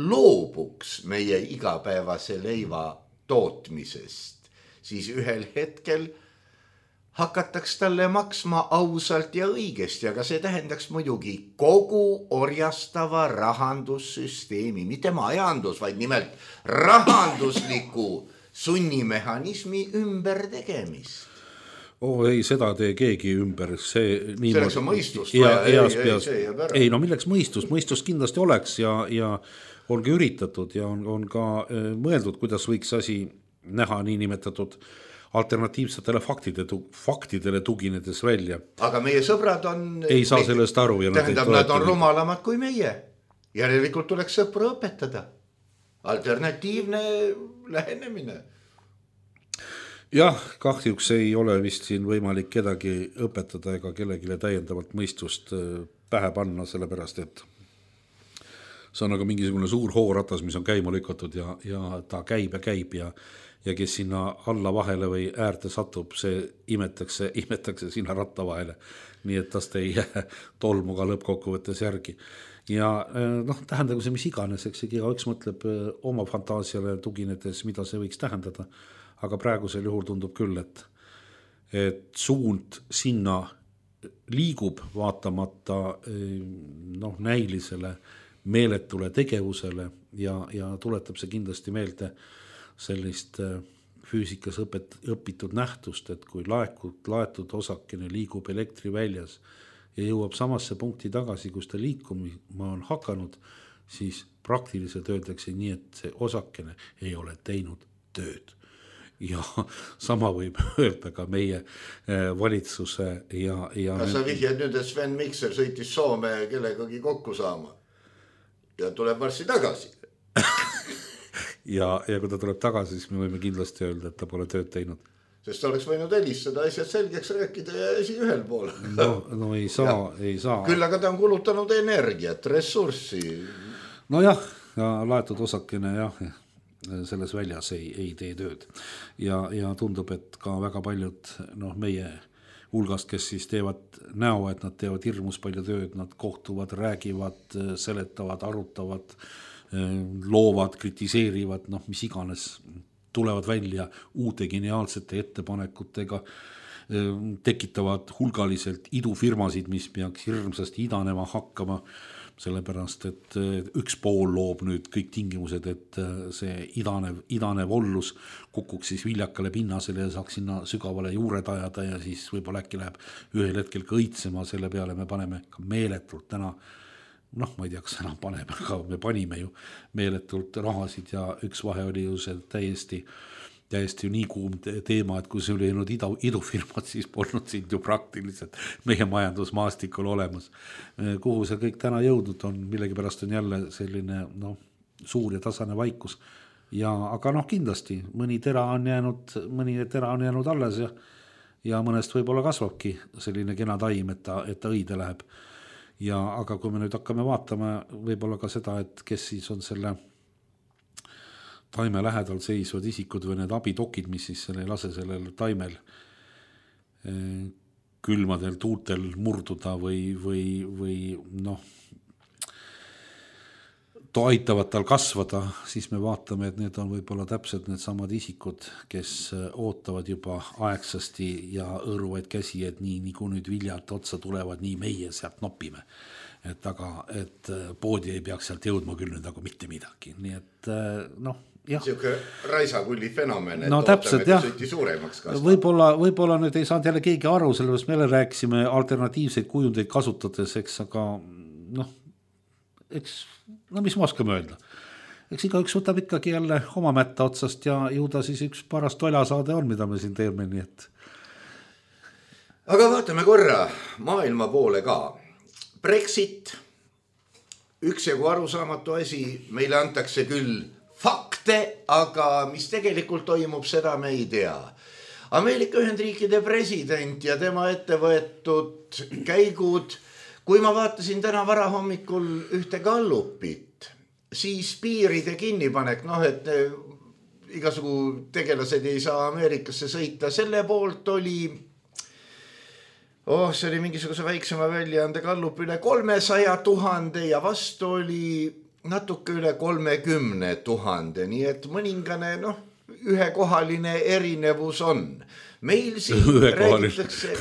loobuks meie igapäevase leiva tootmisest, siis ühel hetkel hakataks talle maksma ausalt ja õigesti, aga see tähendaks muidugi kogu orjastava rahandussüsteemi, mitte majandus, vaid nimelt rahandusliku sunnimehhanismi ümbertegemist. Oh, ei, seda tee keegi ümber. See, selleks on mõistust. Ja, ja, ei, ei, ei, no milleks mõistust? Mõistust kindlasti oleks ja, ja ongi üritatud ja on, on ka mõeldud, kuidas võiks asi näha nii nimetatud alternatiivsetele faktide, faktidele tuginedes välja. Aga meie sõbrad on... Ei saa sellest aru. Ja tähendab, nad on rumalamad kui meie. Järelikult tuleks sõpra õpetada. alternatiivne lähenemine. Jah, kahjuks ei ole vist siin võimalik kedagi õpetada ega kellegile täiendavalt mõistust pähe panna, sellepärast et see on nagu mingisugune suur hooratas, mis on käima lükatud ja, ja ta käib ja käib ja, ja kes sinna alla vahele või äärte satub, see imetakse, imetakse sinna ratta vahele, nii et tast ei jää tolmu ka lõppkokkuvõttes järgi. Ja noh, tähendagu see mis iganes, eks iga üks mõtleb oma fantaasiale tuginedes, mida see võiks tähendada, aga praegusel juhul tundub küll, et, et suund sinna liigub vaatamata noh, näilisele meeletule tegevusele ja, ja tuletab see kindlasti meelde sellist füüsikas õpet, õpitud nähtust, et kui laekud, laetud osakene liigub elektri väljas ja jõuab samasse punkti tagasi, kus ta liikuma on hakanud, siis praktiliselt öeldakse nii, et see osakene ei ole teinud tööd. Ja sama võib öelda ka meie valitsuse ja... ja Kas sa vihjad nüüd, et Sven Mikser sõitis Soome kellegagi kokku saama ja tuleb varsti tagasi? ja, ja kui ta tuleb tagasi, siis me võime kindlasti öelda, et ta pole tööd teinud. Sest ta oleks võinud helistada asjad selgeks rääkida ja esi ühel pool. No, no ei saa, ei saa. Küll aga ta on kulutanud energiat, ressurssi. No jah, ja laetud osakene jah, selles väljas ei, ei tee tööd. Ja, ja tundub, et ka väga paljud noh, meie hulgast, kes siis teevad näo, et nad teevad hirmus palju tööd, nad kohtuvad, räägivad, seletavad, arutavad, loovad, kritiseerivad, noh, mis iganes, tulevad välja uute geniaalsete ettepanekutega, tekitavad hulgaliselt idufirmasid, mis peaks hirmsasti idanema hakkama, sellepärast, et üks pool loob nüüd kõik tingimused, et see idanev, idanev ollus kukuks siis viljakale pinnasele ja saaks sinna sügavale juured ajada ja siis võib-olla äkki läheb ühel hetkel ka õitsema, selle peale me paneme ka meeletult täna, noh, ma ei tea, kas enam paneme, aga me panime ju meeletult rahasid ja üks vahe oli ju see täiesti täiesti ju nii kuum teema, et kui see oli jäänud ida, idufirmad, siis polnud siin ju praktiliselt meie majandusmaastikul olemas. Kuhu see kõik täna jõudnud on, millegipärast on jälle selline noh, suur ja tasane vaikus. Ja, aga noh, kindlasti mõni tera on jäänud, mõni tera on jäänud alles ja, ja mõnest võib-olla kasvabki selline kena taim, et ta, et ta õide läheb. Ja, aga kui me nüüd hakkame vaatama võib-olla ka seda, et kes siis on selle taime lähedal seisvad isikud või need abitokid, mis siis selle ei lase sellel taimel külmadel tuultel murduda või, või, või noh, to aitavad tal kasvada, siis me vaatame, et need on võib-olla täpselt need samad isikud, kes ootavad juba aegsasti ja õõruvaid käsi, et nii, nii kui nüüd viljad otsa tulevad, nii meie sealt nopime. Et aga, et poodi ei peaks sealt jõudma küll nüüd nagu mitte midagi. Nii et noh, siuke raisakulli fenomen, et no, täpselt, ootame, kui sõiti suuremaks kasvab. Võib-olla, võib-olla nüüd ei saanud jälle keegi aru, sellepärast meile rääkisime alternatiivseid kujundeid kasutades, eks, aga noh, eks, no mis ma oskame öelda. Eks iga üks võtab ikkagi jälle oma mätta otsast ja jõuda siis üks paras toljasaade on, mida me siin teeme, nii et. Aga vaatame korra maailma poole ka. Brexit, üks jagu arusaamatu asi, meile antakse küll fakte, aga mis tegelikult toimub, seda me ei tea. Ameerika Ühendriikide president ja tema ettevõetud käigud, kui ma vaatasin täna varahommikul ühte Gallupit, siis piiride kinnipanek, noh, et igasugu tegelased ei saa Ameerikasse sõita, selle poolt oli oh, see oli mingisuguse väiksema väljaande Gallup üle kolmesaja tuhande ja vastu oli natuke üle kolmekümne tuhande, nii et mõningane, noh, ühekohaline erinevus on. Meil siin räägitakse,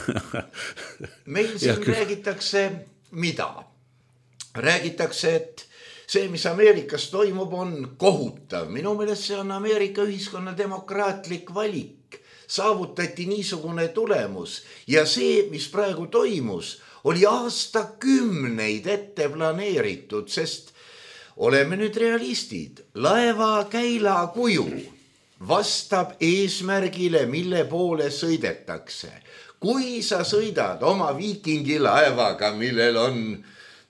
meil siin räägitakse mida? Räägitakse, et see, mis Ameerikas toimub, on kohutav. Minu meelest see on Ameerika ühiskonna demokraatlik valik. Saavutati niisugune tulemus ja see, mis praegu toimus, oli aastakümneid ette planeeritud, sest oleme nüüd realistid. Laeva käila kuju vastab eesmärgile, mille poole sõidetakse. Kui sa sõidad oma viikingi laevaga, millel on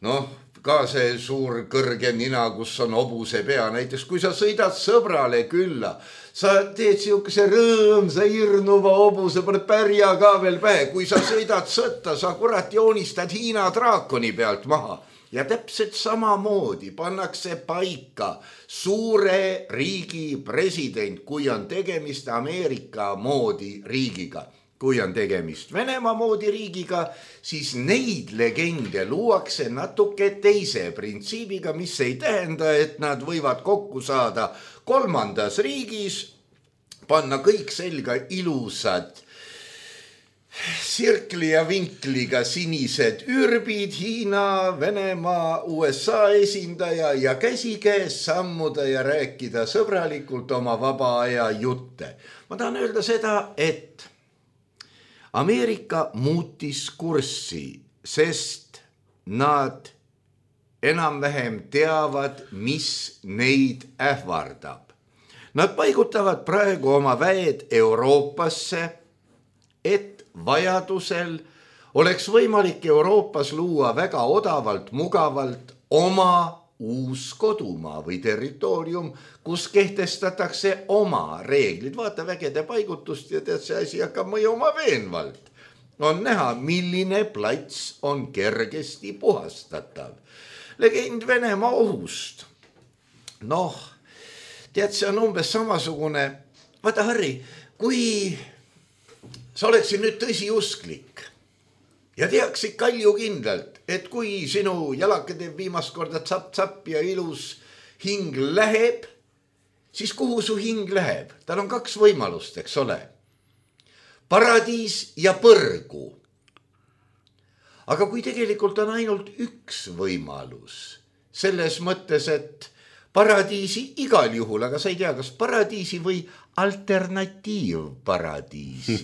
noh, ka see suur kõrge nina, kus on hobuse pea. Näiteks kui sa sõidad sõbrale külla, sa teed siukese rõõmsa hirnuva hobuse, paned pärja ka veel pähe. Kui sa sõidad sõtta, sa kurat joonistad Hiina draakoni pealt maha. Ja täpselt samamoodi pannakse paika suure riigi president, kui on tegemist Ameerika moodi riigiga. Kui on tegemist Venemaa moodi riigiga, siis neid legende luuakse natuke teise printsiibiga, mis ei tähenda, et nad võivad kokku saada kolmandas riigis, panna kõik selga ilusad sirkli ja vinkliga sinised ürbid, Hiina, Venemaa, U S A esindaja ja käsikäes sammuda ja rääkida sõbralikult oma vaba aja jutte. Ma tahan öelda seda, et Ameerika muutis kurssi, sest nad enam-vähem teavad, mis neid ähvardab. Nad paigutavad praegu oma väed Euroopasse, et vajadusel oleks võimalik Euroopas luua väga odavalt, mugavalt oma uus kodumaa või territoorium, kus kehtestatakse oma reeglid. Vaata vägede paigutust ja tead, see asi hakkab mõjuma veenvalt. On näha, milline plats on kergesti puhastatav. Legend Venemaa ohust. Noh, tead, see on umbes samasugune. Vaata, Harri, kui sa oleksid nüüd tõsiusklik ja teaksid kalju kindlalt, et kui sinu jalake teeb viimast korda tsapp-tsapp ja ilus hing läheb, siis kuhu su hing läheb? Tal on kaks võimalust, eks ole. Paradiis ja põrgu. Aga kui tegelikult on ainult üks võimalus, selles mõttes, et paradiisi igal juhul, aga sa ei tea, kas paradiisi või alternatiivparadiisi.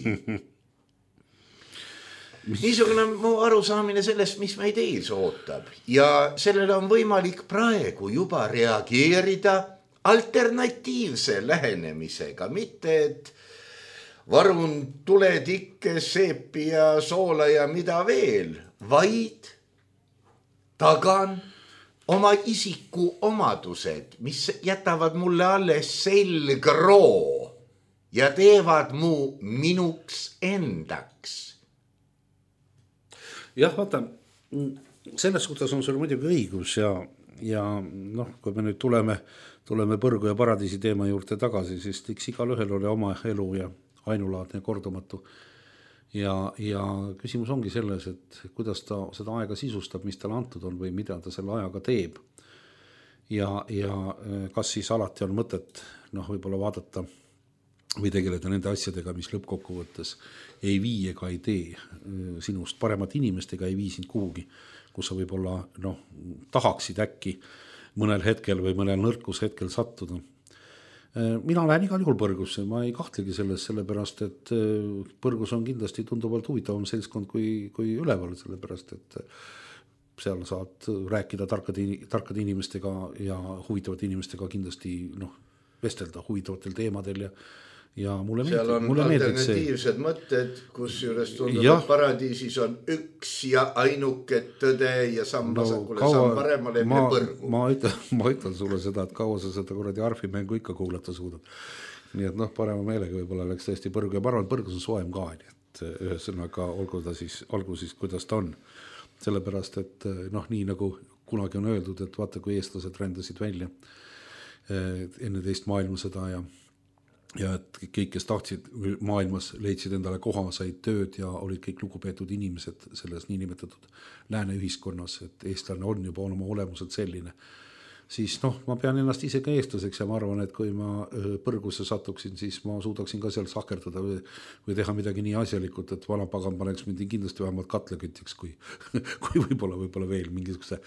Niisugune mu arusaamine sellest, mis meid ees ootab. Ja sellele on võimalik praegu juba reageerida alternatiivse lähenemisega. Mitte, et varun tuletikke, seepi ja soola ja mida veel, vaid tagan oma isiku omadused, mis jätavad mulle alles selgroo ja teevad mu minuks endaks. Jah, vaata, selles suhtes on sul muidugi õigus ja, ja noh, kui me nüüd tuleme, tuleme põrgu ja paradiisi teema juurde tagasi, siis tiks igal ühel oli oma elu ja ainulaadne kordumatu. Ja, ja küsimus ongi selles, et kuidas ta seda aega sisustab, mis talle antud on või mida ta selle ajaga teeb. Ja, ja kas siis alati on mõtet noh, võib-olla vaadata või tegeleda nende asjadega, mis lõppkokkuvõttes ei vii ega ei tee sinust paremat inimest ega ei vii sind kuhugi, kus sa võib-olla noh, tahaksid äkki mõnel hetkel või mõnel nõrkus hetkel sattuda. Mina lähen igal juhul põrgusse, ma ei kahtlegi selles, sellepärast, et põrgus on kindlasti tunduvalt huvitavam seltskond kui, kui üleval, sellepärast, et seal saad rääkida tarkade, tarkade inimestega ja huvitavate inimestega kindlasti noh, vestelda huvitavatel teemadel ja ja mulle seal on mulle alternatiivsed mõtted, kus juures tundub, et paradiisis on üks ja ainuke tõde ja samm vasakule, no, samm paremale ma, põrgu. Ma ütlen, ma ütlen sulle seda, et kaua sa seda kuradi arfimängu ikka kuulata suudad. Nii et noh, parema meelega võib-olla läks tõesti põrgu ja ma arvan, põrgus on soem ka, nii et ühesõnaga olgu ta siis, olgu siis kuidas ta on. Sellepärast, et noh, nii nagu kunagi on öeldud, et vaata, kui eestlased rändasid välja enne teist maailmasõda ja ja et kõik, kes tahtsid maailmas, leidsid endale koha, said tööd ja olid kõik lugupeetud inimesed selles niinimetatud lääne ühiskonnas, et eestlane on juba oma olemuselt selline. Siis noh, ma pean ennast ise ka eestlaseks ja ma arvan, et kui ma põrgusse satuksin, siis ma suudaksin ka seal sahkerdada või, või teha midagi nii asjalikult, et vanapagan paneks mind kindlasti vähemalt katlekütiks, kui, kui võib-olla, võib-olla veel mingisuguse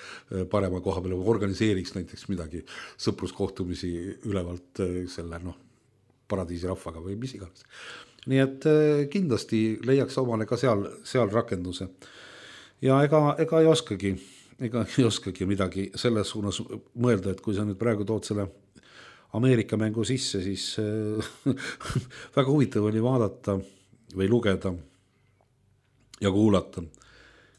parema koha peale või organiseeriks näiteks midagi sõpruskohtumisi ülevalt selle noh, paradiisi rahvaga või mis iganes. Nii et kindlasti leiaks omale ka seal, seal rakenduse. Ja ega, ega ei oskagi, ega ei oskagi midagi selles suunas mõelda, et kui sa nüüd praegu tood selle Ameerika mängu sisse, siis väga huvitav oli vaadata või lugeda ja kuulata,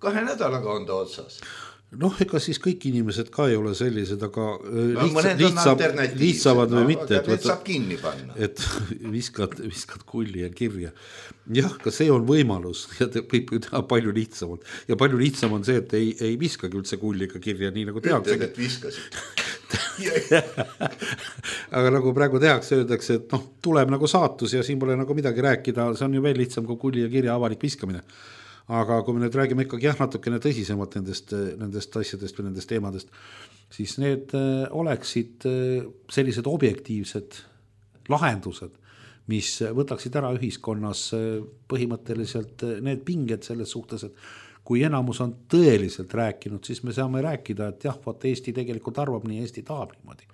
kahe nädalaga on ta otsas. Noh, ega siis kõik inimesed ka ei ole sellised, aga no, lihtsa, lihtsab, lihtsavad või no, mitte, et, et saab kinni panna. Et viskad, viskad kulli ja kirja. Jah, ka see on võimalus ja võib teha palju lihtsamalt. Ja palju lihtsam on see, et ei, ei viskagi üldse kulli ega kirja, nii nagu tehakse. Ütled, et viskasid. Aga nagu praegu tehakse, öeldakse, et noh, tuleb nagu saatus ja siin pole nagu midagi rääkida, see on ju veel lihtsam kui kulli ja kirja avalik viskamine. Aga kui me nüüd räägime ikkagi jah, natukene tõsisemalt nendest, nendest asjadest või nendest teemadest, siis need oleksid sellised objektiivsed lahendused, mis võtaksid ära ühiskonnas põhimõtteliselt need pinged selles suhtes, et kui enamus on tõeliselt rääkinud, siis me saame rääkida, et jah, vaat Eesti tegelikult arvab nii, Eesti tahab niimoodi.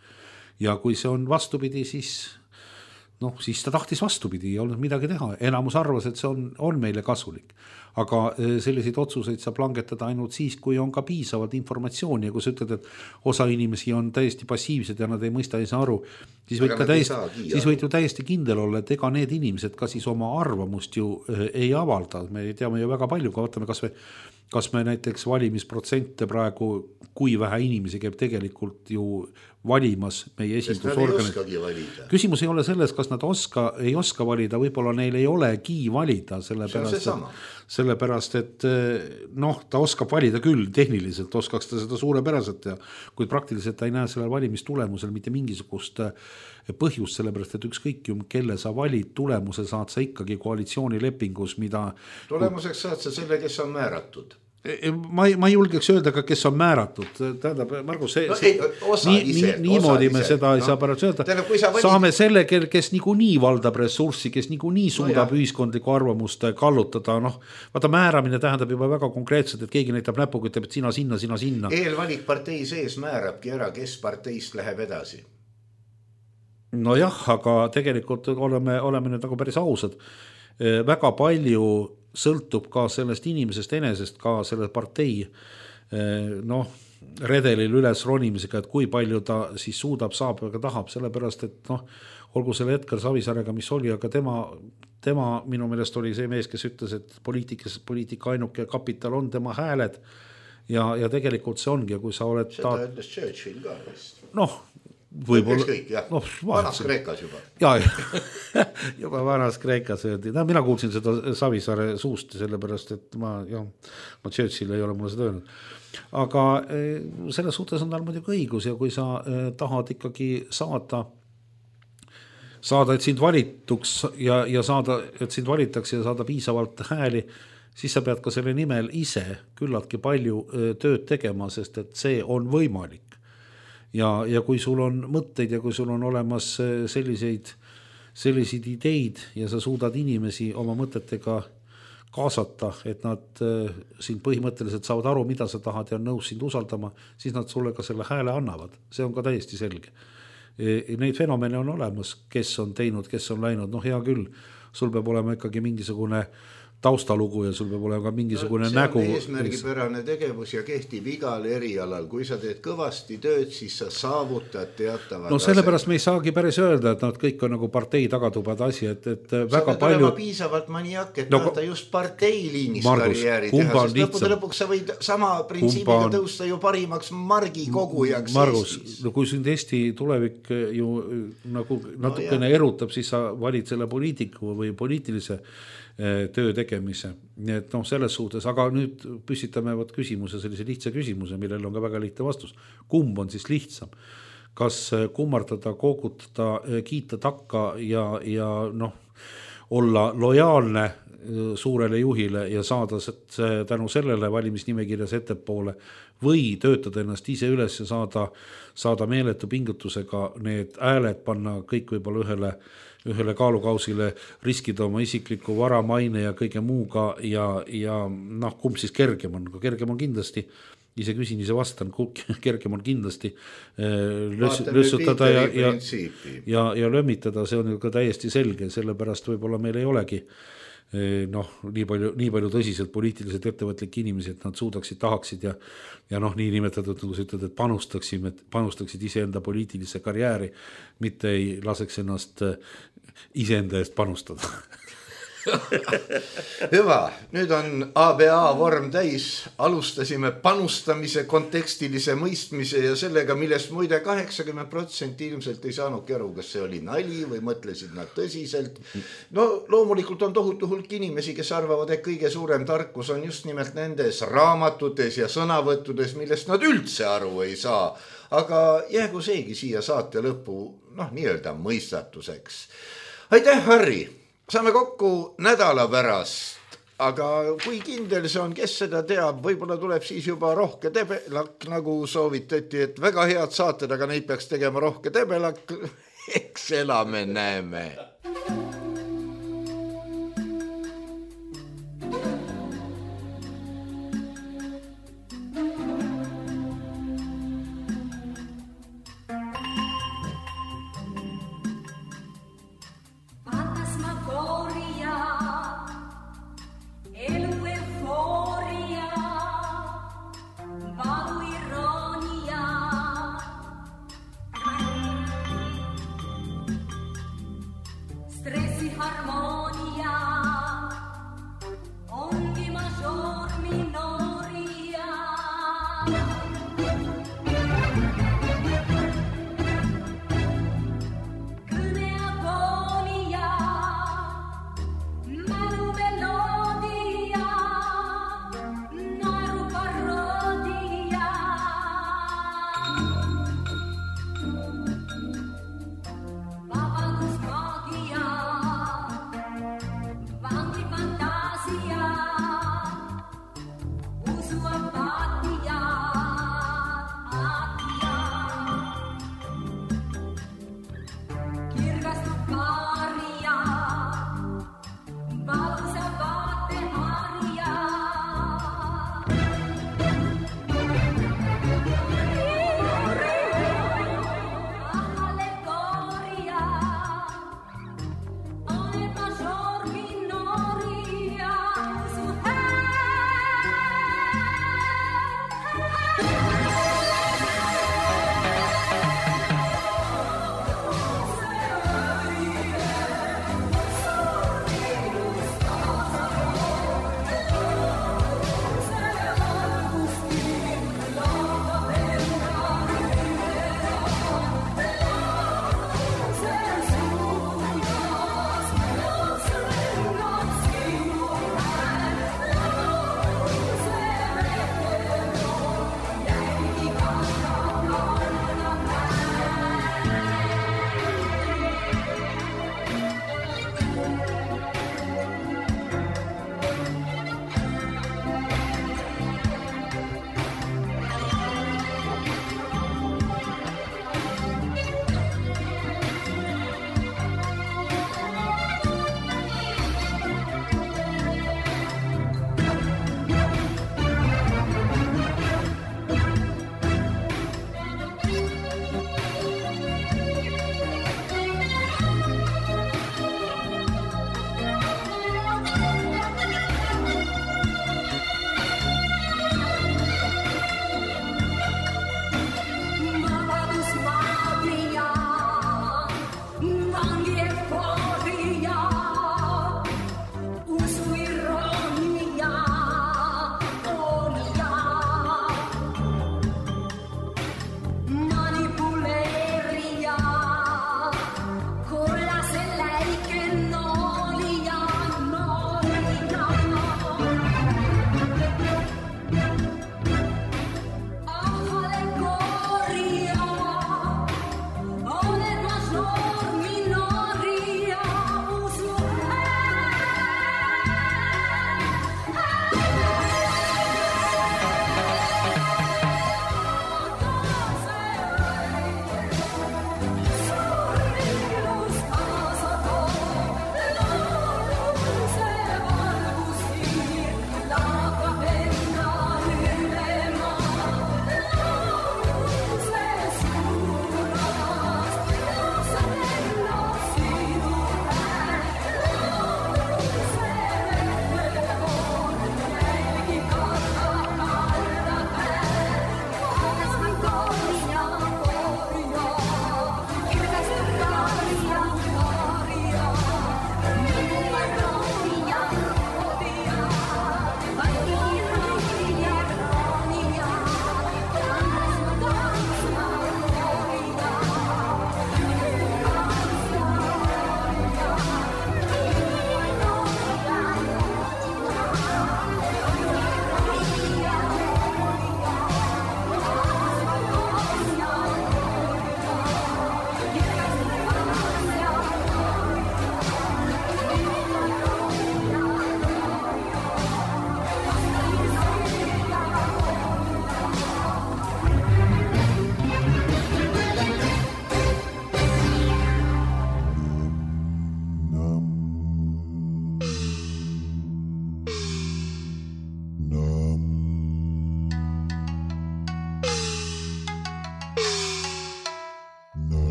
Ja kui see on vastupidi, siis noh, siis ta tahtis vastupidi, ei olnud midagi teha. Enamus arvas, et see on, on meile kasulik. Aga selliseid otsuseid saab langetada ainult siis, kui on ka piisavalt informatsiooni ja kui sa ütled, et osa inimesi on täiesti passiivsed ja nad ei mõista, ei saa aru, siis võid, täiesti, siis võid ju täiesti kindel olla, et ega need inimesed ka siis oma arvamust ju ei avalda. Me teame ju väga palju, kui vaatame kas me, kas me näiteks valimisprotsente praegu, kui vähe inimesi käib tegelikult ju valimas meie esindusorganid. Küsimus ei ole selles, kas nad oska, ei oska valida, võib-olla neil ei olegi valida, sellepärast, et, sellepärast et noh, ta oskab valida küll, tehniliselt oskaks ta seda suurepäraselt ja kuid praktiliselt ta ei näe sellel valimistulemusel mitte mingisugust põhjust, sellepärast et ükskõik ju, kelle sa valid, tulemuse saad sa ikkagi koalitsioonilepingus, mida tulemuseks saad sa selle, kes on määratud. Ma ei, ma ei julgeks öelda ka, kes on määratud. Tähendab, Margus, see, no, ei, nii, ise, niimoodi me seda no, ei saa pärast öelda. Tähendab, valid... Saame selle, kes nigu nii valdab ressurssi, kes nigu nii suudab no, ühiskondlikku arvamust kallutada. Noh, vaata, määramine tähendab juba väga konkreetselt, et keegi näitab näpuga, ütleb, et sina sinna, sina sinna. Eelvalik partei sees määrabki ära, kes parteist läheb edasi. No jah, aga tegelikult oleme, oleme nüüd nagu päris ausad. Väga palju sõltub ka sellest inimesest enesest, ka selle partei noh, redelil üles ronimisega, et kui palju ta siis suudab, saab ja tahab, sellepärast, et noh, olgu selle Edgar Savisaarega, mis oli, aga tema, tema minu meelest oli see mees, kes ütles, et poliitikas, poliitika ainuke kapital on tema hääled ja, ja tegelikult see ongi, kui sa oled seda ta... ütles Churchill ka vist. Noh, võib-olla kõik, jah. No, vanas Kreekas juba ja, juba vanas Kreekas öeldi. No, mina kuulsin seda Savisaare suust sellepärast, et ma, jah, ma Churchill ei ole mulle seda öelnud, aga selles suhtes on tal muidugi õigus ja kui sa tahad ikkagi saada saada, et sind valituks ja, ja saada, et sind valitaks ja saada piisavalt hääli, siis sa pead ka selle nimel ise küllaltki palju tööd tegema, sest et see on võimalik. Ja, ja kui sul on mõtteid ja kui sul on olemas selliseid, selliseid ideid ja sa suudad inimesi oma mõtetega kaasata, et nad sind põhimõtteliselt saavad aru, mida sa tahad ja on nõus sind usaldama, siis nad sulle ka selle hääle annavad. See on ka täiesti selge. Neid fenomene on olemas, kes on teinud, kes on läinud. Noh, hea küll, sul peab olema ikkagi mingisugune taustalugu ja sul peab olema ka mingisugune no, nägu. See on eesmärgipärane tegevus ja kehtib igal erialal. Kui sa teed kõvasti tööd, siis sa saavutad teatavad. No sellepärast me ei saagi päris öelda, et nad kõik on nagu partei tagatubad asi, et, et sa väga pead palju... olema piisavalt maniak, et no, tahta just parteiliinis karjääri teha, sest lõpude lõpuks sa võid sama printsiibiga on... tõusta ju parimaks margi kogujaks Margus, Eestis. No kui sind Eesti tulevik ju nagu natukene no, erutab, siis sa valid selle poliitiku või poliitilise töö tegemise. Nii et noh, selles suhtes, aga nüüd püstitame võt küsimuse, sellise lihtsa küsimuse, millel on ka väga lihtne vastus. Kumb on siis lihtsam? Kas kummardada, koogutada, kiita takka ja, ja noh, olla lojaalne suurele juhile ja saada tänu sellele valimisnimekirjas ettepoole või töötada ennast ise üles ja saada, saada meeletu pingutusega need hääled panna kõik võib-olla ühele ühele kaalukausile, riskida oma isikliku vara, maine ja kõige muuga ja, ja noh, kumb siis kergem on? Kergem on kindlasti, ise küsin, ise vastan, kergem on kindlasti lös, lössutada ja, ja, ja, ja lömmitada, see on ju ka täiesti selge, sellepärast võib-olla meil ei olegi noh, nii palju, nii palju tõsiselt poliitiliselt ettevõtlik inimesi, et nad suudaksid, tahaksid ja, ja noh, nii nimetatud, nagu sa ütled, et panustaksid, panustaksid iseenda poliitilise karjääri, mitte ei laseks ennast iseenda eest panustada. Hüva, nüüd on A B A vorm täis, alustasime panustamise, kontekstilise mõistmise ja sellega, millest muide kaheksakümmend protsenti ilmselt ei saanudki aru, kas see oli nali või mõtlesid nad tõsiselt. No loomulikult on tohutu hulk inimesi, kes arvavad, et kõige suurem tarkus on just nimelt nendes raamatutes ja sõnavõttudes, millest nad üldse aru ei saa. Aga jäägu seegi siia saate lõppu, noh, nii-öelda mõistatuseks. Aitäh, Harri! Saame kokku nädala pärast, aga kui kindel see on, kes seda teab, võib-olla tuleb siis juba rohke tebelak, nagu soovitati, et väga head saated, aga neid peaks tegema rohke tebelak. Eks elame, näeme.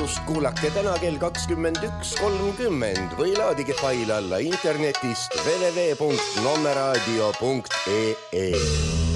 salvestust kuulake täna kell kakskümmend üks kolmkümmend või laadige fail alla internetist w w w punkt nommeraadio punkt e e.